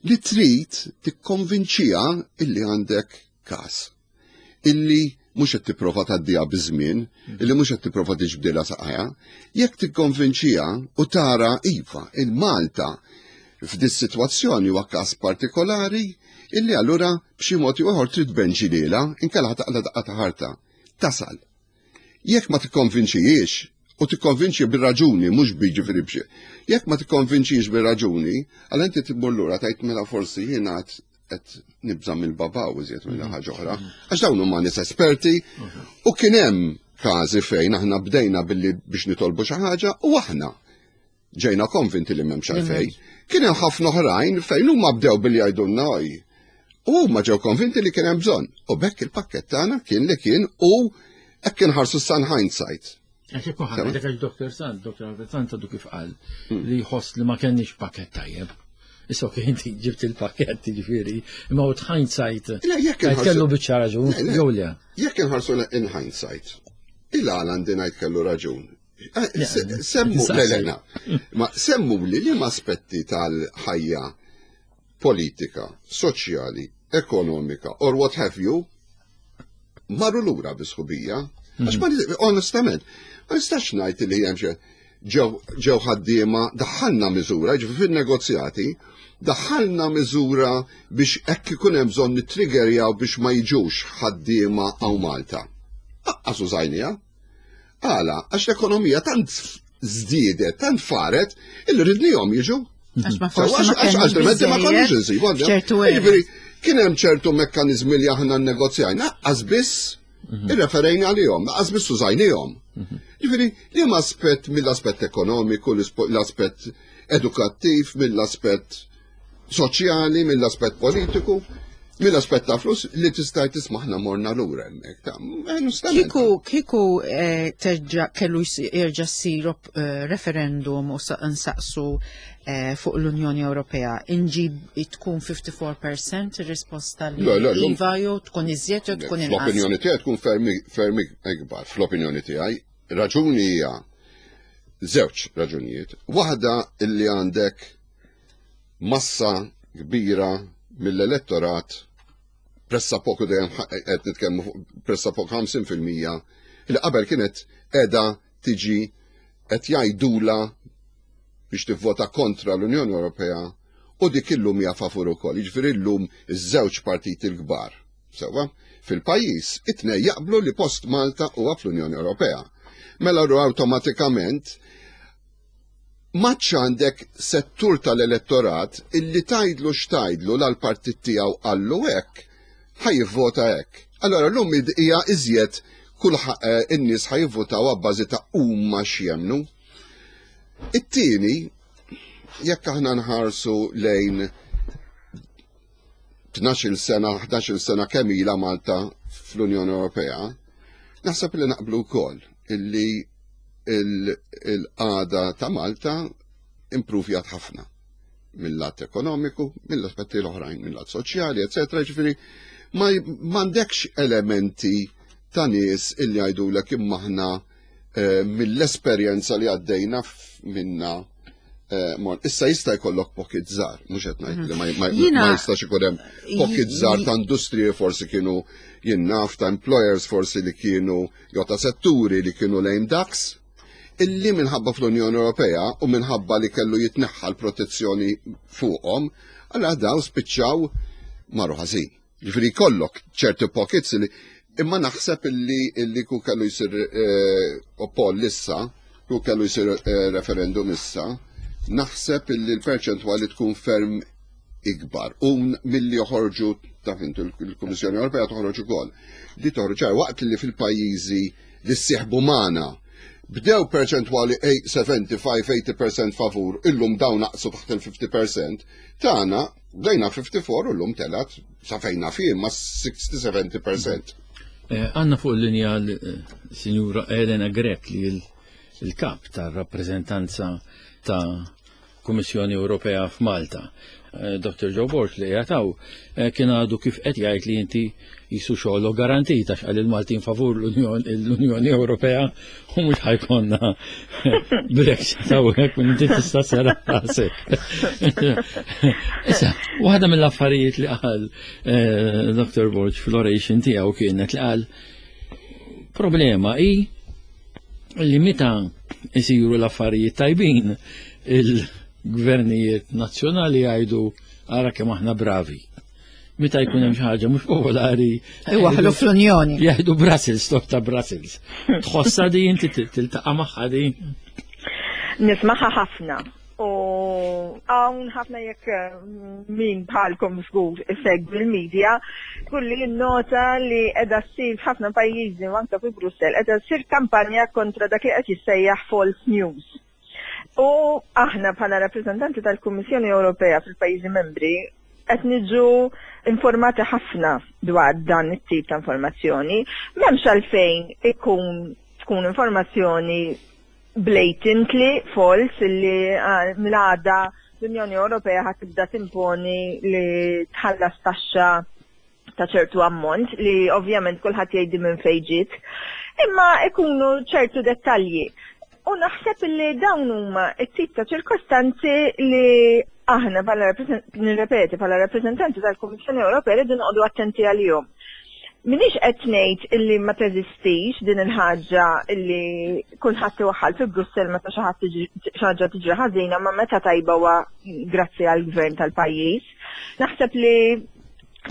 li trid tikkonvinċiha illi għandek każ. Illi mhux qed tipprova tgħaddiha biż-żmien, illi mhux qed tipprova tiġbdilha saqajha, jekk tikkonvinċiha u tara iva, il-Malta f'dis sitwazzjoni huwa każ partikolari illi allura b'xi mod ieħor trid tbenġi lilha inkella taqla daqqa ta' ħarta. Tasal. Jekk ma tikkonvinċijiex, u tikkonvinċi bir-raġuni, mhux biġifieri b'xi. Jekk ma tikkonvinċix bir-raġuni, għal inti tmur lura tgħid mela forsi jiena qed nibża' mill-babaw iżjed minn ħaġa oħra. Għax dawn huma nies esperti u kien hemm każi fejn aħna bdejna billi biex nitolbu xi ħaġa u aħna ġejna konvinti li m'hemmx għalfejn. Kien hemm ħafna oħrajn fejn huma bdew billi jgħidulna oj. U huma ġew konvinti li kien hemm bżonn. U bekk il-pakkett tagħna kien li kien u hekk inħarsu in hindsight. Għax ikun ħadd għax Doktor Sant, Doktor Albert Sant għadu kif qal li jħoss li ma kenniex pakket tajjeb. Issa ok, inti ġibt il-pakket ġifieri, imma u hindsight. Le, jekk inħarsu- Kellu biċċa raġun, Le, le. jew le. Jekk inħarsu in hindsight, il-għala għandi ngħid kellu raġun. Eh, Le, se- le, Semmu, le, le, nistaqsi. na. Ma semmu li li aspetti tal-ħajja politika, soċjali, ekonomika, or what have you, marru lura bis-sħubija. Għax ma onestament, ma nistax ngħid li hemm xi ġew ġew ħaddiema daħħalna miżura, ġifieri fin-negozjati, daħħalna miżura biex hekk ikun hemm bżonn nittriggerjaw biex ma jiġux ħaddiema hawn Malta. Aqqas użajniha. Għala, għax l-ekonomija tant żdiedet, tant faret, illi ridnihom jiġu. Għax ma So, forsi għax ma għax kenniex altrimenti ma konniex biżżejjed insibu. f'ċertu Jiġifieri, kien hemm ċertu mekkaniżmi li aħna nnegozjajna, għax biss irreferejna għalihom, għax biss użajnihom. Jiġifieri, li hemm aspett mill-aspett ekonomiku, l-aspett edukattiv, mill-aspett soċjali, mill-aspett politiku, mill-aspett ta' flus li tista' tisma' aħna morna lura hemmhekk. Ta' onestament. Kieku, kieku eh, terġa' kellu js- jerġa' ssir eh, referendum u sa- nsaqsu eh, fuq l-Unjoni Ewropea, inġib tkun ħamsa u ħamsin fil-mija ir-risposta li Le, le, l-lum- iva jew tkun iżjed jew tkun inqas. Fl-opinjoni tiegħi tkun fermi fermi ikbar. Fl-opinjoni tiegħi raġuni hija żewġ raġunijiet. Waħda illi għandek massa kbira mill-elettorat pressappoku dejjem ħa- qed nitkellmu fuq pressappoku ħamsin fil-mija li qabel kienet qiegħda tiġi qed jgħidula biex tivvota kontra l-Unjoni Ewropea u dik illum hija favur ukoll. Jiġifieri llum iż-żewġ partiti l-kbar. Sewwa, fil-pajjiż it-tnejn jaqblu li post Malta huwa fl-Unjoni Ewropea. Mela ru awtomatikament maċ għandek settur tal-elettorat illi tgħidlu x'tgħidlu l-partit tiegħu qallu hekk, ħa jivvota hekk. Allora llum hija iżjed kull eh, in-nies ħa jivvotaw abbażi ta' huma x'jemnu. It-tieni, jekk aħna nħarsu lejn tnax-il sena, ħdax-il sena kemm ilha Malta fl-Unjoni Ewropea, naħseb li naqblu wkoll illi il-qagħda ta' Malta impruvjat ħafna mill-lat ekonomiku, mill-aspetti l-oħrajn, mill-lat soċjali, eccetera. Ġifieri, ma m'għandekx elementi ta' nies illi jgħidulek imma aħna eh, mill-esperjenza li għaddejna minna eh, Issa jista' jkollok pocket żgħar, mhux qed ngħid li ma jistax ikun hemm pocket żgħar ta' industriji forsi kienu jinnaf ta' employers forsi li kienu jew ta' setturi li kienu lame ducks, illi minħabba fl-Unjoni Ewropea u minħabba li kellu jitneħħa l-protezzjoni fuqhom, allura daw spiċċaw marru ħażin. Ġifieri kollok ċerti pockets li imma naħseb illi illi ku kellu jsir eh, poll issa, ku kellu jsir eh, referendum issa, naħseb illi l-perċentwali tkun ferm ikbar. U milli joħorġu ta' fintu l-Kummissjoni Ewropea toħroġ ukoll. Di toħroġ waqt li fil-pajjiżi li ssieħbu magħna Bdew perċentwali sebgħa u sebgħin, tmenin fil-mija favur, illum dawn naqsu taħt il-ħamsin fil-mija. Tagħna bdejna ħamsa u erbgħin u llum telgħet sa fejna fih ma' sittaw-sebgħin fil-mija. Eh, għandna fuq il-linja l-Sinjura Elena Grech, li il-kap tar-rappreżentanza ta' Kummissjoni Ewropea f'Malta. Eh, Doktor Joe Borg li jgħataw eh, kien għadu kif qed jgħid li inti jisu xogħol garantita x'qal il-Maltin favur l-Unjoni Ewropea u mhux ħa jkollna Brexit hawnhekk, u inti tista' sera rasek. Issa, waħda mill-affarijiet li qal eh, Doktor Borg fl-oration tiegħu kienet li qal problema hi li meta isiru l-affarijiet tajbin, il-gvernijiet nazzjonali jgħidu, "Ara kemm aħna bravi." Meta jkun hemm xi ħaġa mhux popolari, iwaħlu fl-Unjoni. Jgħidu Brussels, stop ta' Brussels. Tħossha di inti, tiltaqa' magħha di? Nismaha ħafna. U hawn ħafna, jekk eh, min bħalkom żgur isegwi l-medja, kulli nota li qiegħda ssir f'ħafna pajjiżi u anke fi Brussell qiegħda ssir kampanja kontra dak li qed jissejjaħ false news. U aħna bħala rappreżentanti tal-Kummissjoni Ewropea fil-pajjiżi membri qed niġu informati ħafna dwar dan it-tip ta' informazzjoni. M'hemmx għalfejn ikun tkun informazzjoni blatantly false illi ah, mill-għada l-Unjoni Ewropea ħa tibda timponi li tħallas taxxa ta' ċertu ammont li ovvjament kulħadd jgħidi minn fejn ġiet. Imma ikunu ċertu dettalji. U naħseb li dawn huma t-tip ta' ċirkostanzi li aħna bħala nirrepeti bħala rappreżentanti tal-Kummissjoni Ewropea rridu noqogħdu attenti għalihom. Minix qed ngħid illi ma teżistix din il-ħaġa illi kulħadd iwaħħal fi Brussell meta xi ħadd xi ħaġa tiġri ħażina, ma meta tajba huwa grazzi għall-gvern tal-pajjiż. Naħseb li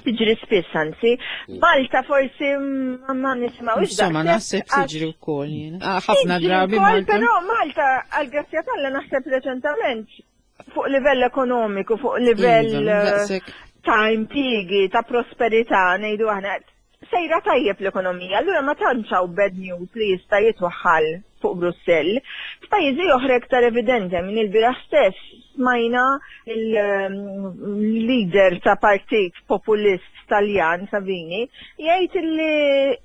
tiġri spiss, anzi. Malta forsi ma ma nisimgħux. Insomma, naħseb tiġri wkoll jiena. Ah, ħafna drabi wkoll, Malta. Però Malta, għal-grazzja t'Alla, naħseb reċentament fuq livell ekonomiku, fuq livell Iva, eh, daqshekk. ta' impjiegi, ta' prosperità, ngħidu aħna, sejra tajjeb l-ekonomija, allura ma tantx hawn bad news li jista' jitwaħħal fuq Brussell. F'pajjiżi oħra iktar evidenti. Minn il-bieraħ stess smajna il-leader ta' partit populist Taljan, Salvini, jgħid li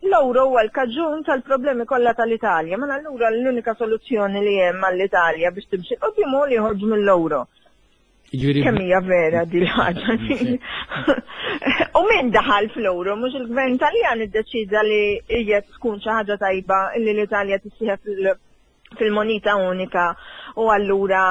l-euro huwa l-kaġun tal-problemi kollha tal-Italja. Ma allura l-unika soluzzjoni li hemm għall-Italja biex timxi quddiem hu li joħorġu mill-euro. Jiġifieri Kemm hija vera di l-ħaġa? U min daħal fl-euro? Mhux il-gvern Taljan iddeċida li hija tkun xi ħaġa tajba li l-Italja tissieħeb fil- fil-moneta unika u allura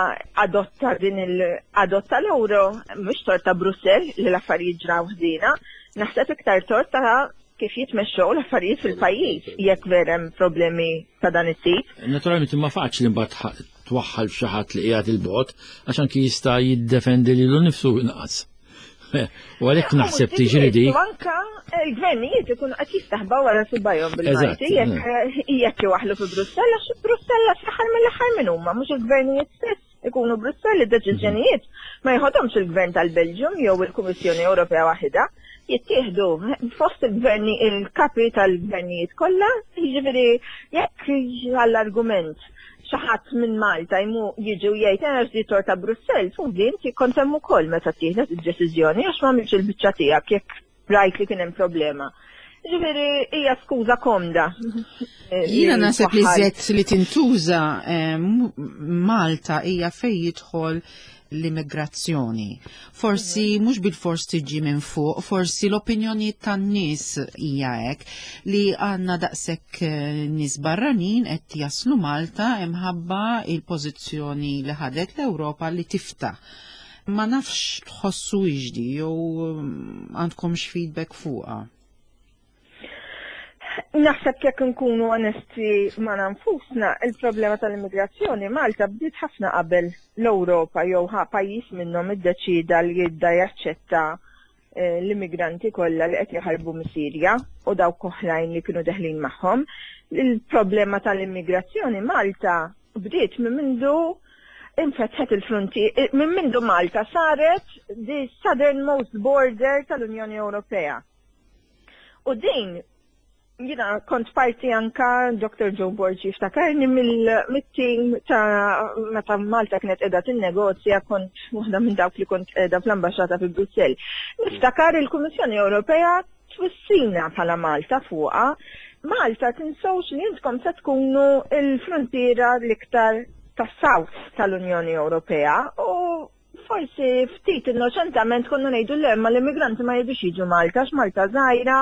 adotta din il adotta l-euro? Mhux tort ta' Brussell li l-affarijiet ġraw ħżiena, naħseb iktar tort ta' kif jitmexxew l-affarijiet fil-pajjiż jekk vera hemm problemi ta' dan it-tip. Naturalment imma faċli mbagħad ħa- twaħħal f'xi ħadd li qiegħed il-bogħod, għax anki jista' jiddefendi lilu nnifsu inqas. U għalhekk naħseb tiġri dik. U anka il-gvernijiet ikunu qed jistaħbaw wara subajhom bil-Malti Eżatt, jekk jekk iwaħlu fi Brussell, għax Brussell fl-aħħar mill-aħħar minn huma? Mhux il-gvernijiet stess ikunu Brussell? Id-deċiżjonijiet ma jħodhomx il-gvern tal-Belġium jew il-Kummissjoni Ewropea waħedha, jittieħdu fost il-gverni, il-kapi tal-gvernijiet kollha. Jiġifieri jekk għall-argument xi ħadd minn Malta jmu jiġi u jgħid, "Għax di tort ta' Brussell," fuq inti kont hemm ukoll meta ttieħdet id-deċiżjoni, għax ma għamilx il-biċċa tiegħek jekk rajt li kien hemm problema? Ġifieri hija skuża komda. Jiena naħseb li żed li tintuża eh, m- Malta hija fej jidħol l-immigrazzjoni. Forsi mhux bil-fors tiġi minn fuq, forsi l-opinjoni tan-nies hija hekk li għandna daqshekk eh, nies barranin qed jaslu Malta imħabba il-pożizzjoni li ħadet l-Ewropa li tiftaħ. Ma nafx tħossu iġdi jew mm, għandkomx feedback fuqha. Naħseb jekk nkunu onesti ma' nfusna, il-problema tal-immigrazzjoni Malta bdiet ħafna qabel l-Ewropa jew ħa pajjiż minnhom iddeċida li jibda jaċċetta eh, l-immigranti kollha li qed jaħarbu mis-Sirja u dawk oħrajn li kienu deħlin magħhom. Il-problema tal-immigrazzjoni Malta bdiet minn mindu infetħet il-fronti, minn mindu Malta saret the southernmost border tal-Unjoni Ewropea. U din Jiena kont parti anka Doctor Joe Borg jiftakarni mill-team ta' meta Malta kienet qiegħda tinnegozja, kont waħda minn dawk li kont qiegħda fl-ambaxxata fi Brussell. Niftakar il-Kummissjoni Ewropea twissina bħala Malta fuqha. Malta, tinsewx li intkom se tkunu il-frontiera l-iktar tas-South tal-Unjoni Ewropea, u forsi ftit innoċentament konna ngħidu le, ma l-immigranti ma jridux jiġu Malta għax Malta żgħira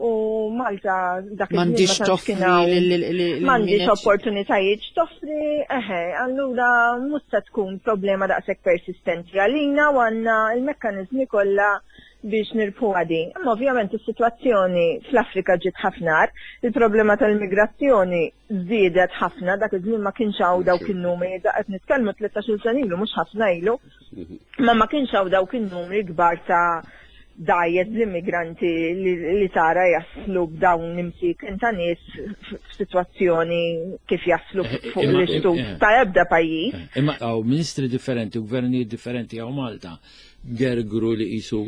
u Malta dak iż-żmien M'għandix ma tantx toffri kien hawn- lil- lil- lil- m'għandix min qed- opportunitajiet toffri, eħe, allura mhux se tkun problema daqshekk persistenti għalina u għandna l-mekkaniżmi kollha biex nirbħu din. Imma ovvjament is-sitwazzjoni fl-Afrika ġiet ħafna agħar, il-problema tal-immigrazzjoni żdiedet ħafna, dak iż-żmien ma kienx hawn dawk in-numri, da qed nitkellmu tlettax-il sena ilu, mhux ħafna ilu, ma ma kienx hawn dawk in-numri kbar ta' dgħajjes l-immigranti li, li tara jaslu b'dawn imsieken ta' nies f'sitwazzjoni kif jaslu Eh, fuq imma- l-istut eh, ta' ebda pajjiż. Imma hawn ministri differenti u gvernijiet differenti hawn Malta gergru li qisu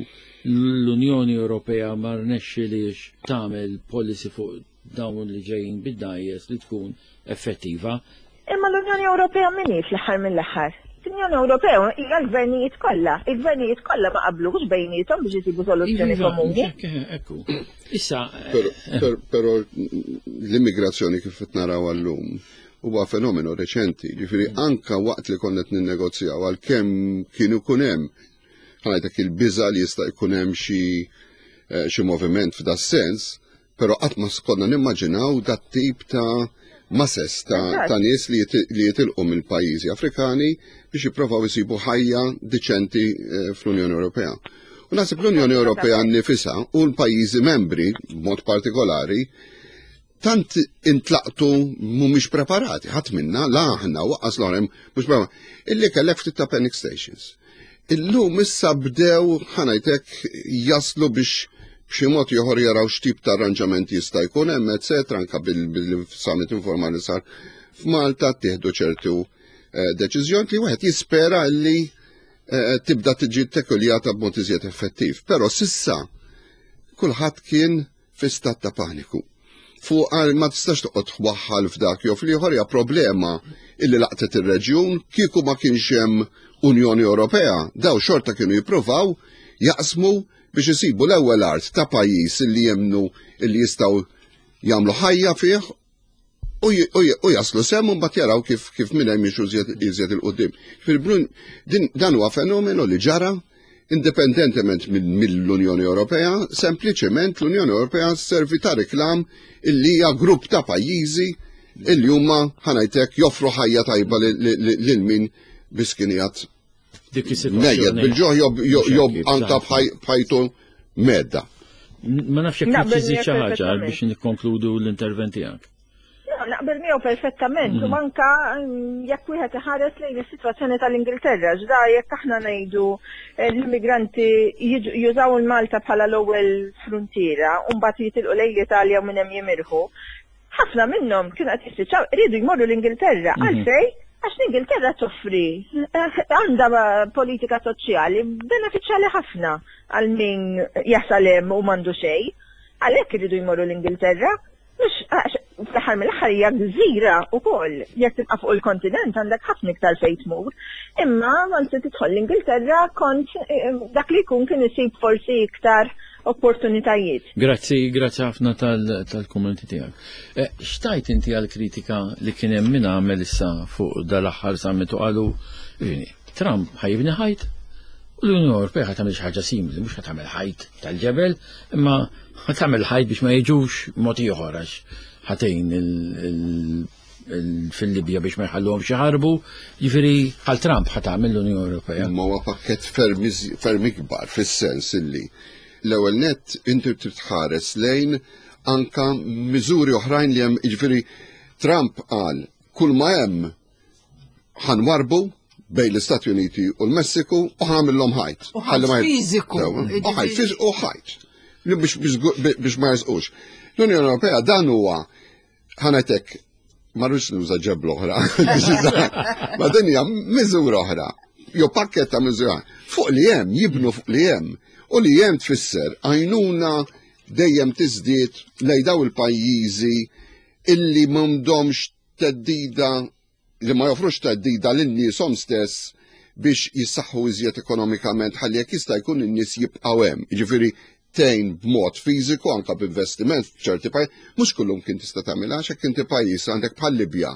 l-Unjoni Ewropea ma rnexxilix tagħmel policy fuq dawn li ġejjin bid-dgħajjes li tkun effettiva. Imma l-Unjoni Ewropea min hi fl-aħħar mill-aħħar? L-Unjoni Ewropea hija l-gvernijiet kollha. Il-gvernijiet kollha ma qablux bejniethom biex isibu soluzzjoni Iva, komuni. ekku, Ekku. Issa, Però, per- però l-immigrazzjoni kif qed naraw għallum huwa fenomenu reċenti, ġifieri anka waqt li konna qed ninnegozjaw, għalkemm kienu jkun hemm, ħa ngħidlek, il-biża li jista' jkun hemm xi eh, xi moviment f'da sens, però qatt ma konna nimmaġinaw dat tip ta' masses ta', Eżatt. ta' nies li jit- li jitilqu mill-pajjiżi Afrikani biex jipprovaw isibu ħajja diċenti eh, fl-Unjoni Ewropea. U naħseb l-Unjoni Ewropea nnifisha u l-pajjiżi membri b'mod partikolari tant intlaqtu mhumiex preparati, ħadd minna, la aħna u lanqas l-oħrajn mhux preparati, illi kellek ftit ta' panic stations. Illum issa bdew, ħa ngħidlek, jaslu biex b'xi mod ieħor jaraw x'tip ta' arranġamenti jista' jkun hemm, eċetera, anka bil-summit informali sar f'Malta tieħdu ċertu eh, deċiżjoni li wieħed jispera li eh, tibda tiġi tekuljata b'mod iżjed effettiv. Però s'issa kulħadd kien fi stat ta' paniku. Fuq għal ma tistax toqgħod twaħħal f'dak jew fl-ieħor, hija problema illi laqtet ir-reġjun. Kieku ma kienx hemm Unjoni Ewropea, daw xorta kienu jippruvaw jaqsmu biex isibu l-ewwel art ta' pajjiż illi jemnu illi jistgħu jagħmlu ħajja fih u j- u j- u jaslu s'hemm u mbagħad jaraw kif kif minn hemm jimxu iżjed iżjed 'il quddiem. Fil-brun din dan huwa fenomenu li ġara indipendentement minn mill-Unjoni Ewropea, sempliċement l-Unjoni Ewropea servi ta' reklam illi hija grupp ta' pajjiżi illi huma, ħa ngħidlek, joffru ħajja tajba lil- lil lil min biskinijat dik mejjed is-sitwazzjoni. bil-ġuħ job job Mhux hekk, anka eżatt. b'ħaj- b'ħajtu medda. Ma nafx jekk Naqbel trid xi miegħek ħaġa perfettament. biex nikkonkludu l-intervent tiegħek. No, naqbel miegħu perfettament, u anka mm, jekk wieħed iħares lejn is-sitwazzjoni tal-Ingilterra, ġda jekk aħna ngħidu eh, l-immigranti jiġu- jużaw il-Malta bħala l-ewwel frontiera u mbagħad jitilqu lejn l-Italja u minn hemm jimirħu. Ħafna minnhom kienu qed jispiċċaw iridu jmorru l-Ingilterra. Għalfejn? Għax l-Ingilterra toffri eh, għandha politika soċjali benefiċjali ħafna għal min jasal hemm u m'għandu xejn. Għalhekk iridu jmorru l-Ingilterra. Mux, għax, fl-aħħar mill-aħħar hija gżira wkoll. Jekk tibqa' fuq il-kontinent għandek ħafna iktar fejn tmur. Imma once tidħol l-Ingilterra kont eh, dak li jkun kien isib forsi iktar opportunitajiet. Grazzi, grazzi ħafna tal- tal-kummenti tiegħek. Eh, X'tgħid inti għal-kritika li kien hemm min għamel issa fuq dal-aħħar summit u qalu, "Vini, Trump ħa jibni ħajt u l-Unjoni Ewropea ħa tagħmel xi ħaġa simili, mhux ħa tagħmel ħajt tal-ġebel, imma ħa tagħmel ħajt biex ma jiġux mod ieħor għax ħa tgħin il- il- il- fil-Libja biex ma jħalluhomx jaħarbu, jiġifieri bħal Trump ħa tagħmel l-Unjoni Ewropea." Ma huwa pakket ferm iż- ferm ikbar fis-sens illi l-ewwel net inti trid tħares lejn anka miżuri oħrajn li hemm, jiġifieri Trump qal kull ma hemm ħa nwarrbu bejn l-Istati Uniti u l-Messiku u ħa nagħmlilhom ħajt. U ħajt Ħalli ma- fiżiku. Sewa, U ħajt fiżiku u ħajt. Li Biex biex biex ma jersqux. L-Unjoni Ewropea dan huwa, ħa ngħidlek, ma rridx nuża ġebla oħra. Ma din hija miżura oħra. Jew pakket ta' miżura. Fuq li hemm, jibnu fuq li hemm. U li hemm tfisser għajnuna dejjem tiżdied lejn daw il-pajjiżi illi m'għandhomx theddida, li ma joffrux theddida lin-nieshom stess biex jissaħħu iżjed ekonomikament ħalli jekk jista' jkun in-nies jibqgħu hemm. Jiġifieri tgħin b'mod fiżiku, anka b'investiment f'ċerti pajjiż, mhux kullum kien tista' tagħmilha, għax jekk inti pajjiż għandek bħal Libja,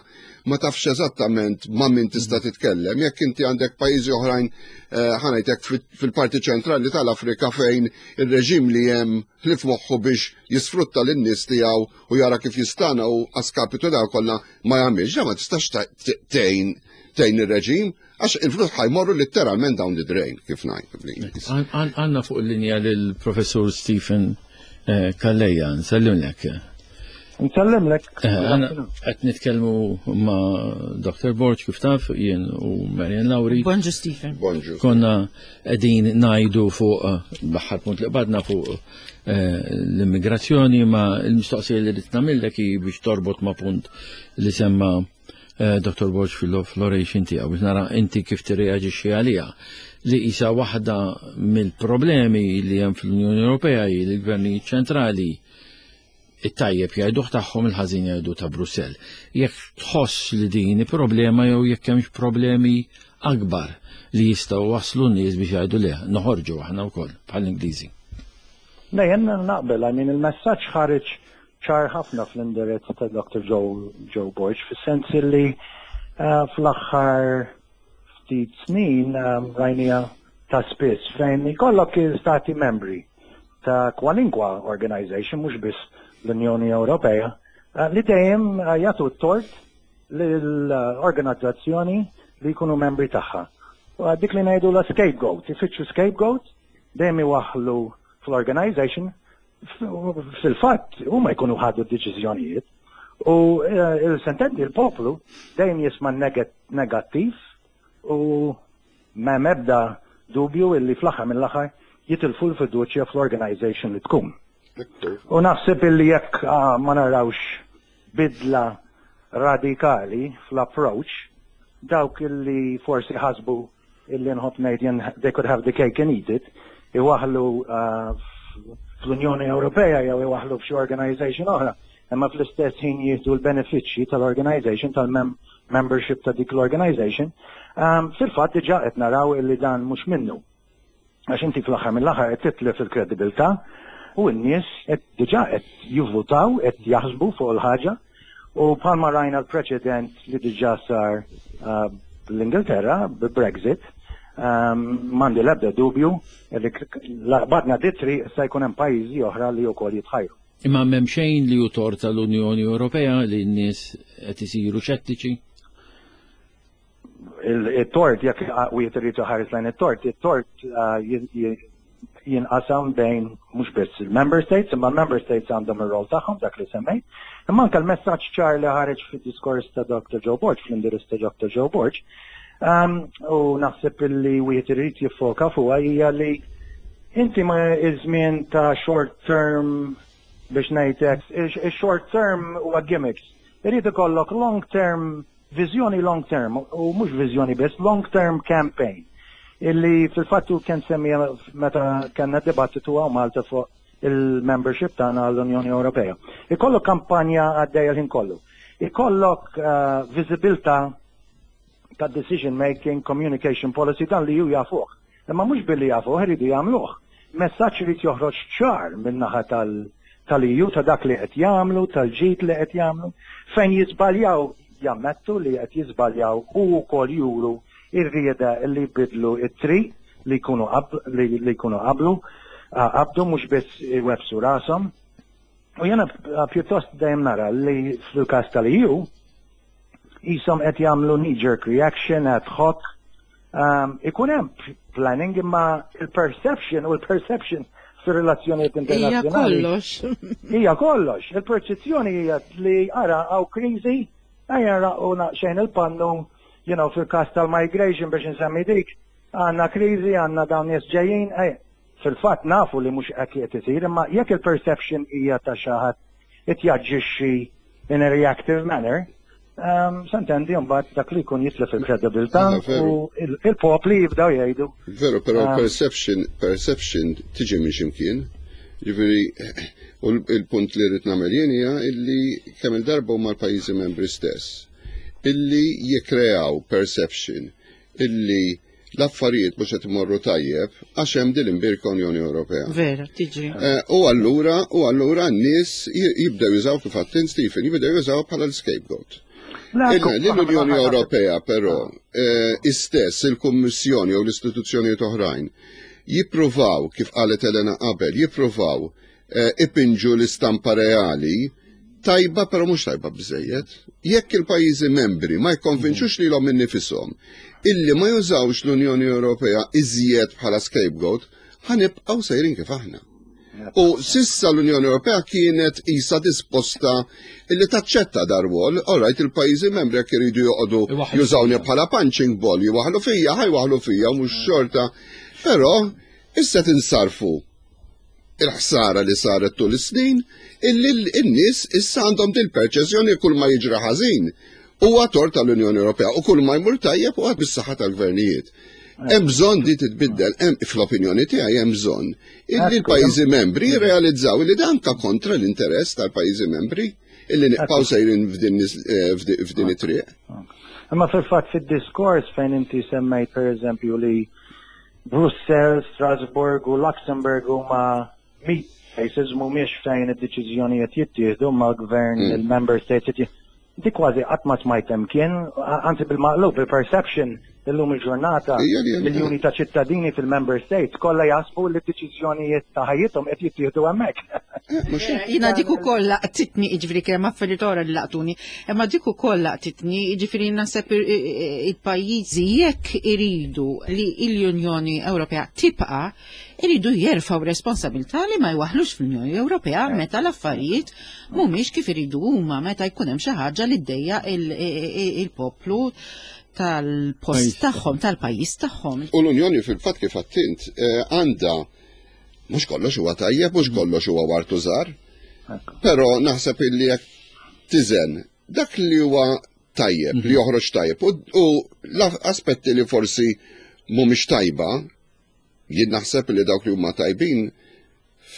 ma tafx eżattament ma' min tista' titkellem. Jekk inti għandek pajjiżi oħrajn, eh, ħa ngħidlek, fil-parti ċentrali tal-Afrika fejn ir-reġim li hemm ħlief moħħu biex jisfrutta lin-nies tiegħu u jara kif jistana u a skapitu daw kollha ma jagħmilx, ma tistax tgħin tgħin ir-reġim għax il-flus ħa jmorru letteralment down the drain, kif ngħid bl-Ingliż. Għandna fuq il-linja lill-professur Stephen eh, Calleja, nsellimlek. Nsellimlek. Eh, qed nitkellmu ma' Doctor Borg, kif taf, jien u Marian Lauri. Bonġu, Stephen. Bonġu. Konna qegħdin ngħidu fuq eh, l-aħħar punt li qbadna fuq l-immigrazzjoni, ma l-mistoqsija li rrid nagħmillek hi biex torbot ma' punt li semma Eh, Doctor Borg fil-oration tiegħu, biex nara inti kif tirreaġixxi għaliha, li isa waħda mill-problemi li hemm fl-Unjoni Ewropea hi li l-gvernijiet ċentrali it-tajjeb jgħiduh tagħhom, il-ħażin jgħidu ta' Brussell. Jekk tħoss li din problema jew jekk hemmx problemi akbar li jistgħu waslu n-nies biex jgħidu le, noħorġu aħna wkoll bħall-Ingliżi. Ne, jien naqbel, I mean, il-messaġġ ħareġ ċar ħafna fl-indirizz ta' Doctor Joe, Joe Borg, fis-sens li uh, fl-aħħar ftit snin um, rajnieha ta' spiss fejn ikollok stati membri ta' kwalinkwa organization, mhux biss l-Unjoni Ewropea, uh, li dejjem uh, jagħtu t-tort l-organizzazzjoni li jkunu membri tagħha. U dik li ngħidu la scapegoat, ifittxu scapegoat, dejjem iwaħħlu fl-organization, fil-fatt huma jkunu ħadu d-deċiżjonijiet u eh, il-sentendi il-poplu dejjem jisma' negattiv u ma mebda dubju illi fl-aħħar mill-aħħar jitilfu l-fiduċja fl-organization li tkun. U naħseb illi jekk ah, ma narawx bidla radikali fl-approach, dawk illi forsi ħasbu illi, nħobb ngħid jien, they could have the cake and eat it, iwaħħlu uh, fl-Unjoni Ewropea jew iwaħħlu f'xi organization oħra, imma fl-istess ħin jieħdu l-benefiċċji tal-organization, tal-membership ta' dik l-organization, um, fil-fatt diġà qed naraw illi dan mhux minnu. Għax inti fl-aħħar mill-aħħar qed titlef il-kredibilità u n-nies qed diġà qed jivvutaw, qed jaħsbu fuq il-ħaġa, u bħalma rajna l-preċedent li diġà sar uh, l-Ingilterra b-Brexit, um, m'għandi l-ebda dubju li badna ditri se jkun hemm pajjiżi oħra li wkoll jitħajru. Imma m'hemm xejn li hu tort tal-Unjoni Ewropea li n-nies qed isiru xettiċi? Il-tort, jekk wieħed irid iħares lejn it-tort, it-tort uh, jinqasam bejn mhux biss il-member states, imma l-member states għandhom ir-rol tagħhom, dak li semmejt. Imma anke l-messaġġ ċar li ħareġ fid-diskors ta' Doctor Joe Borg, fl-indirizz ta' Doctor Joe Borg, um, u naħseb li wieħed irid jiffoka fuqha, hija li inti ma iż-żmien ta' short term, biex ngħidlek, short term huwa gimmicks. Irid ikollok long term, viżjoni long term, u mhux viżjoni biss, long term campaign illi fil-fattu kien semmija meta kellna dibattitu hawn Malta fuq il-membership tagħna għall-Unjoni Ewropea. Ikollok kampanja għaddejja l-ħin kollu. Ikollok uh, visibilità ta' decision making, communication policy, dan li ju jafuh. Imma mhux billi jafuh, iridu jagħmluh. Messaġġ irid joħroġ ċar min-naħa tal- tal-E U ta' dak li qed jagħmlu, tal-ġid li qed jagħmlu, fejn jiżbaljaw jammettu li qed jiżbaljaw u wkoll juru ir-rieda li jbidlu it-triq li jkunu li, li jkunu qablu qabdu, mhux biss iwebsu rashom. U jena pjuttost dejjem nara li fil-każ tal-E U jisom qed jagħmlu knee-jerk reaction ad hoc. Um, ikun hemm planning, imma il-perception u l-perception fir-relazzjonijiet internazzjonali. Hija kollox. Hija kollox. Il-perċezzjoni hija li ara hawn kriżi, ejja u xejn il-pannu, you know, fil-każ tal-migration, biex nsemmi dik, għandna kriżi, għandna dawn nies ġejjin, ej, fil-fatt nafu li mhux hekk qed isir, imma jekk il-perception hija ta' xi ħadd qed jaġixxi in a reactive manner, um, s'intendi mbagħad dak li jkun jitlef il-kredibilità u il-popli jibdew jgħidu. Veru, però um, perception, perception tiġi minn ximkien. Ġifieri, u l-punt li rrid nagħmel jien hija illi kemm il-darba huma l-pajjiżi membri stess illi jikkreaw perception illi l-affarijiet mhux qed imorru tajjeb għax hemm din l-imbierka Unjoni Ewropea. Vera, tiġri. Eh, u allura u allura n-nies jibdew jużaw kif għedt int Stephen, jibdew jużaw bħala l-scapegoat. L-Unjoni Ewropea però eh, istess il-Kummissjoni u l-istituzzjonijiet oħrajn jippruvaw, kif qalet Elena qabel, jippruvaw eh, ipinġu l-istampa reali tajba però mhux tajba biżejjed. Jekk il-pajjiżi membri ma jikkonvinċux lilhom innifisom illi ma jużawx l-Unjoni Ewropea iżjed bħala scapegoat, ħa nibqgħu sejrin kif aħna. U s'issa l-Unjoni Ewropea kienet isa disposta illi taċċetta dar-rwol, alright il-pajjiżi membri jekk iridu joqogħdu jużawni bħala punching ball, jwaħlu fija, ħa jwaħlu fija, mhux xorta. Però issa tinsarfu il-ħsara li saret tul is-snin illi n-nies issa għandhom dil perċezzjoni kull ma jiġri ħażin huwa tort tal-Unjoni Ewropea u kull ma jmur tajjeb huwa bis-saħħa tal-gvernijiet. Hemm bżonn di titbiddel, hemm fl-opinjoni tiegħi hemm bżonn illi l-pajjiżi membri jirrealizzaw li dan ka kontra l-interess tal-pajjiżi membri illi nibqgħu sejrin f'din it-triq. Imma fil-fatt fid-diskors fejn inti semmejt pereżempju li Brussels, Strasbourg u Luxembourg huma meet places mhumiex fejn id-deċiżjonijiet jittieħdu mal-gvern mm. il-member states di kważi qatt ma smajt kien, anzi bil-maqlub, il-perception illum il-ġurnata miljuni ta' ċittadini fil-member states kollha jaħsbu li d-deċiżjonijiet ta' ħajjithom qed jittieħdu hemmhekk. Jiena dik ukoll laqtitni jiġifieri kemm affarijiet oħra li laqtuni, imma dik ukoll laqtitni jiġifieri naħseb il-pajjiżi jekk iridu li l-Unjoni Ewropea tibqa' iridu jerfgħu responsabilità li ma jwaħlux fl-Unjoni Ewropea meta l-affarijiet mhumiex kif iridu huma meta jkun hemm xi ħaġa li ddejjaq il-poplu tal-post tagħhom, tal-pajjiż tagħhom. U l-Unjoni fil-fatt kif għedt int għandha mhux kollox huwa tajjeb, mhux kollox huwa ward u żahar. Però naħseb illi jekk tiżen dak li huwa tajjeb, li joħroġ tajjeb, u l-aspetti li forsi mhumiex tajba, jien naħseb li dawk li huma tajbin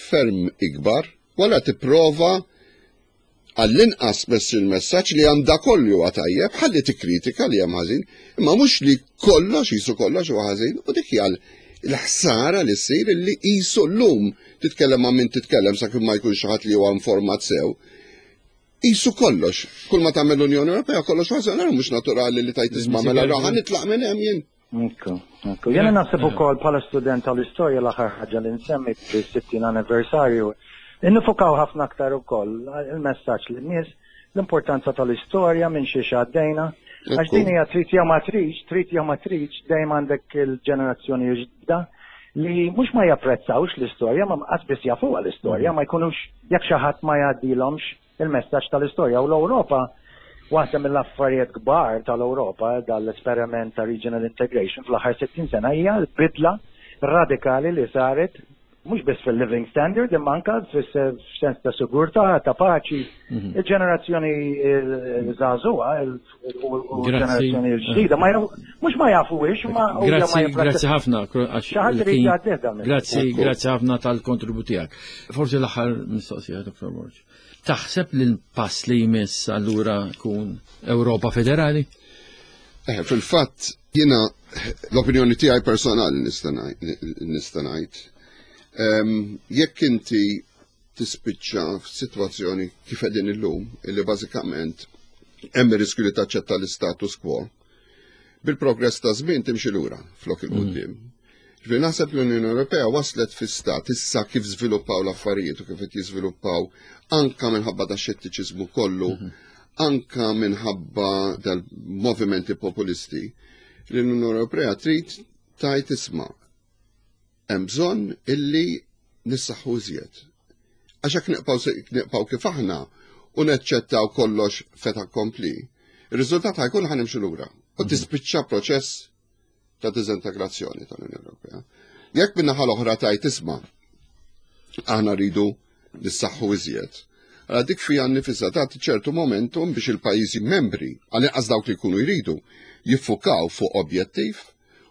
ferm ikbar, wala tipprova għall-inqas mess il-messaġġ li għandha kollu huwa tajjeb, ħalli tikkritika li hemm ħażin, imma mhux li kollox jisu kollox huwa ħażin, u dik hija l-ħsara li ssir li qisu llum titkellem ma' min titkellem sakemm ma jkunx xi ħadd li huwa informat sew. Qisu kollox, kull ma tagħmel l-Unjoni Ewropea kollox ħażin, mhux naturali li tajt isma' mela ħa nitlaq minn hemm jien. Ekku, ekku. Jiena naħseb ukoll bħala student tal-istorja l-aħħar ħaġa li nsemmi fis-sittin anniversarju, Nifukaw ħafna aktar ukoll il-messaġġ lin-nies l-importanza tal-istorja minn xiex għaddejna. Għax din hija trid jew ma tridx, trid jew ma tridx, dejjem għandek il-ġenerazzjoni ġdida li mhux ma japprezzawx l-istorja, ma qas biss jafuha l-istorja, ma jkunux jekk xi ħadd ma jgħaddilhomx il-messaġġ tal-istorja. U l-Ewropa, waħda mill-affarijiet kbar tal-Ewropa, dal-esperiment ta' regional integration fl-aħħar sittin sena hija l-bidla radikali li saret mhux biss fil-living standard, imma anka fis-sens ta' sigurtà, ta' paċi. Mhm. Il-ġenerazzjoni żagħżugħa u l-ġenerazzjoni l-ġdida mhux ma jafuhiex, ma Grazzi, grazzi ħafna. Grazzi, grazzi ħafna tal-kontribut tiegħek. Forsi l-aħħar mistoqsija, Dottor Borg. Taħseb li l-pass li jmiss allura kun Ewropa Federali? Eh, fil-fatt, jiena l-opinjoni tiegħi personali nista' ngħid. Jekk inti tispiċċa f'sitwazzjoni kif qegħdin illum, illi bażikament hemm ir-riskju li taċċetta l-status quo, bil-progress ta' żmien timxi lura flok il-quddiem. Ġifieri naħseb l-Unjoni Ewropea waslet fi stat issa kif żviluppaw l-affarijiet u kif qed jiżviluppaw anka minħabba da xettiċiżmu kollu, anka minħabba dal-movimenti populisti, li l-Unjoni Ewropea trid tgħid isma' hemm bżonn illi nissaħħu iżjed. Għax hekk nibqgħu kif aħna u neċċettaw kollox fait accompli, ir-riżultat ħa jkun ħa nimxu lura u tispiċċa proċess ta' diżintegrazzjoni tal-Unjoni Ewropea. Jekk min-naħa l-oħra tgħid isma' aħna rridu nissaħħu iżjed. Għala dik fija nifisha tagħti ċertu momentum biex il-pajjiżi membri, għal dawk li jkunu jridu, jiffukaw fuq objettiv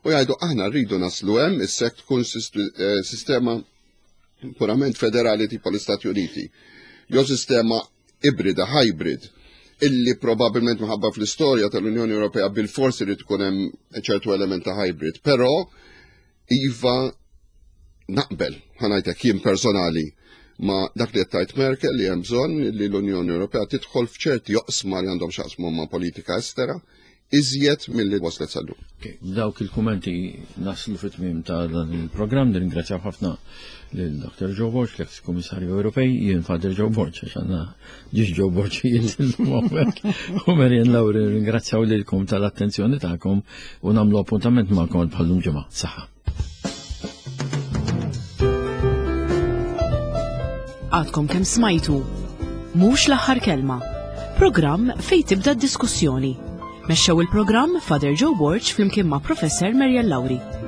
u jgħidu aħna rridu naslu hemm issek tkun sistema purament federali tipo l-Istati Uniti, jew sistema ibrida, hybrid, illi probabilment minħabba fl-istorja tal-Unjoni Ewropea bil-forsi li tkun hemm ċertu element ta' hybrid, però iva naqbel, ħa ngħidlek jien personali, ma' dak li qed Merkel li hemm bżonn li l-Unjoni Ewropea tidħol f'ċerti oqsma li għandhom x'jaqsmu ma' politika estera iżjed milli waslet sal-lum. Dawk il-kummenti naslu fit-tmiem ta' dan il-programm, nirringrazzjaw ħafna lil Dr. Joe Borg, l-ex Kummissarju Ewropej, jien Father Joe Borg, għax għandna żewġ Joe Borg u Marian Lauri, ringrazzjaw lilkom tal-attenzjoni tagħkom u nagħmlu appuntament magħkom bħal-lum ġimgħa. Saħħa. Għadkom kemm smajtu. Mhux l-aħħar kelma. Programm fejn tibda d-diskussjoni. Mexxew il-programm Father Joe Borg flimkien ma' Professor Marian Lauri.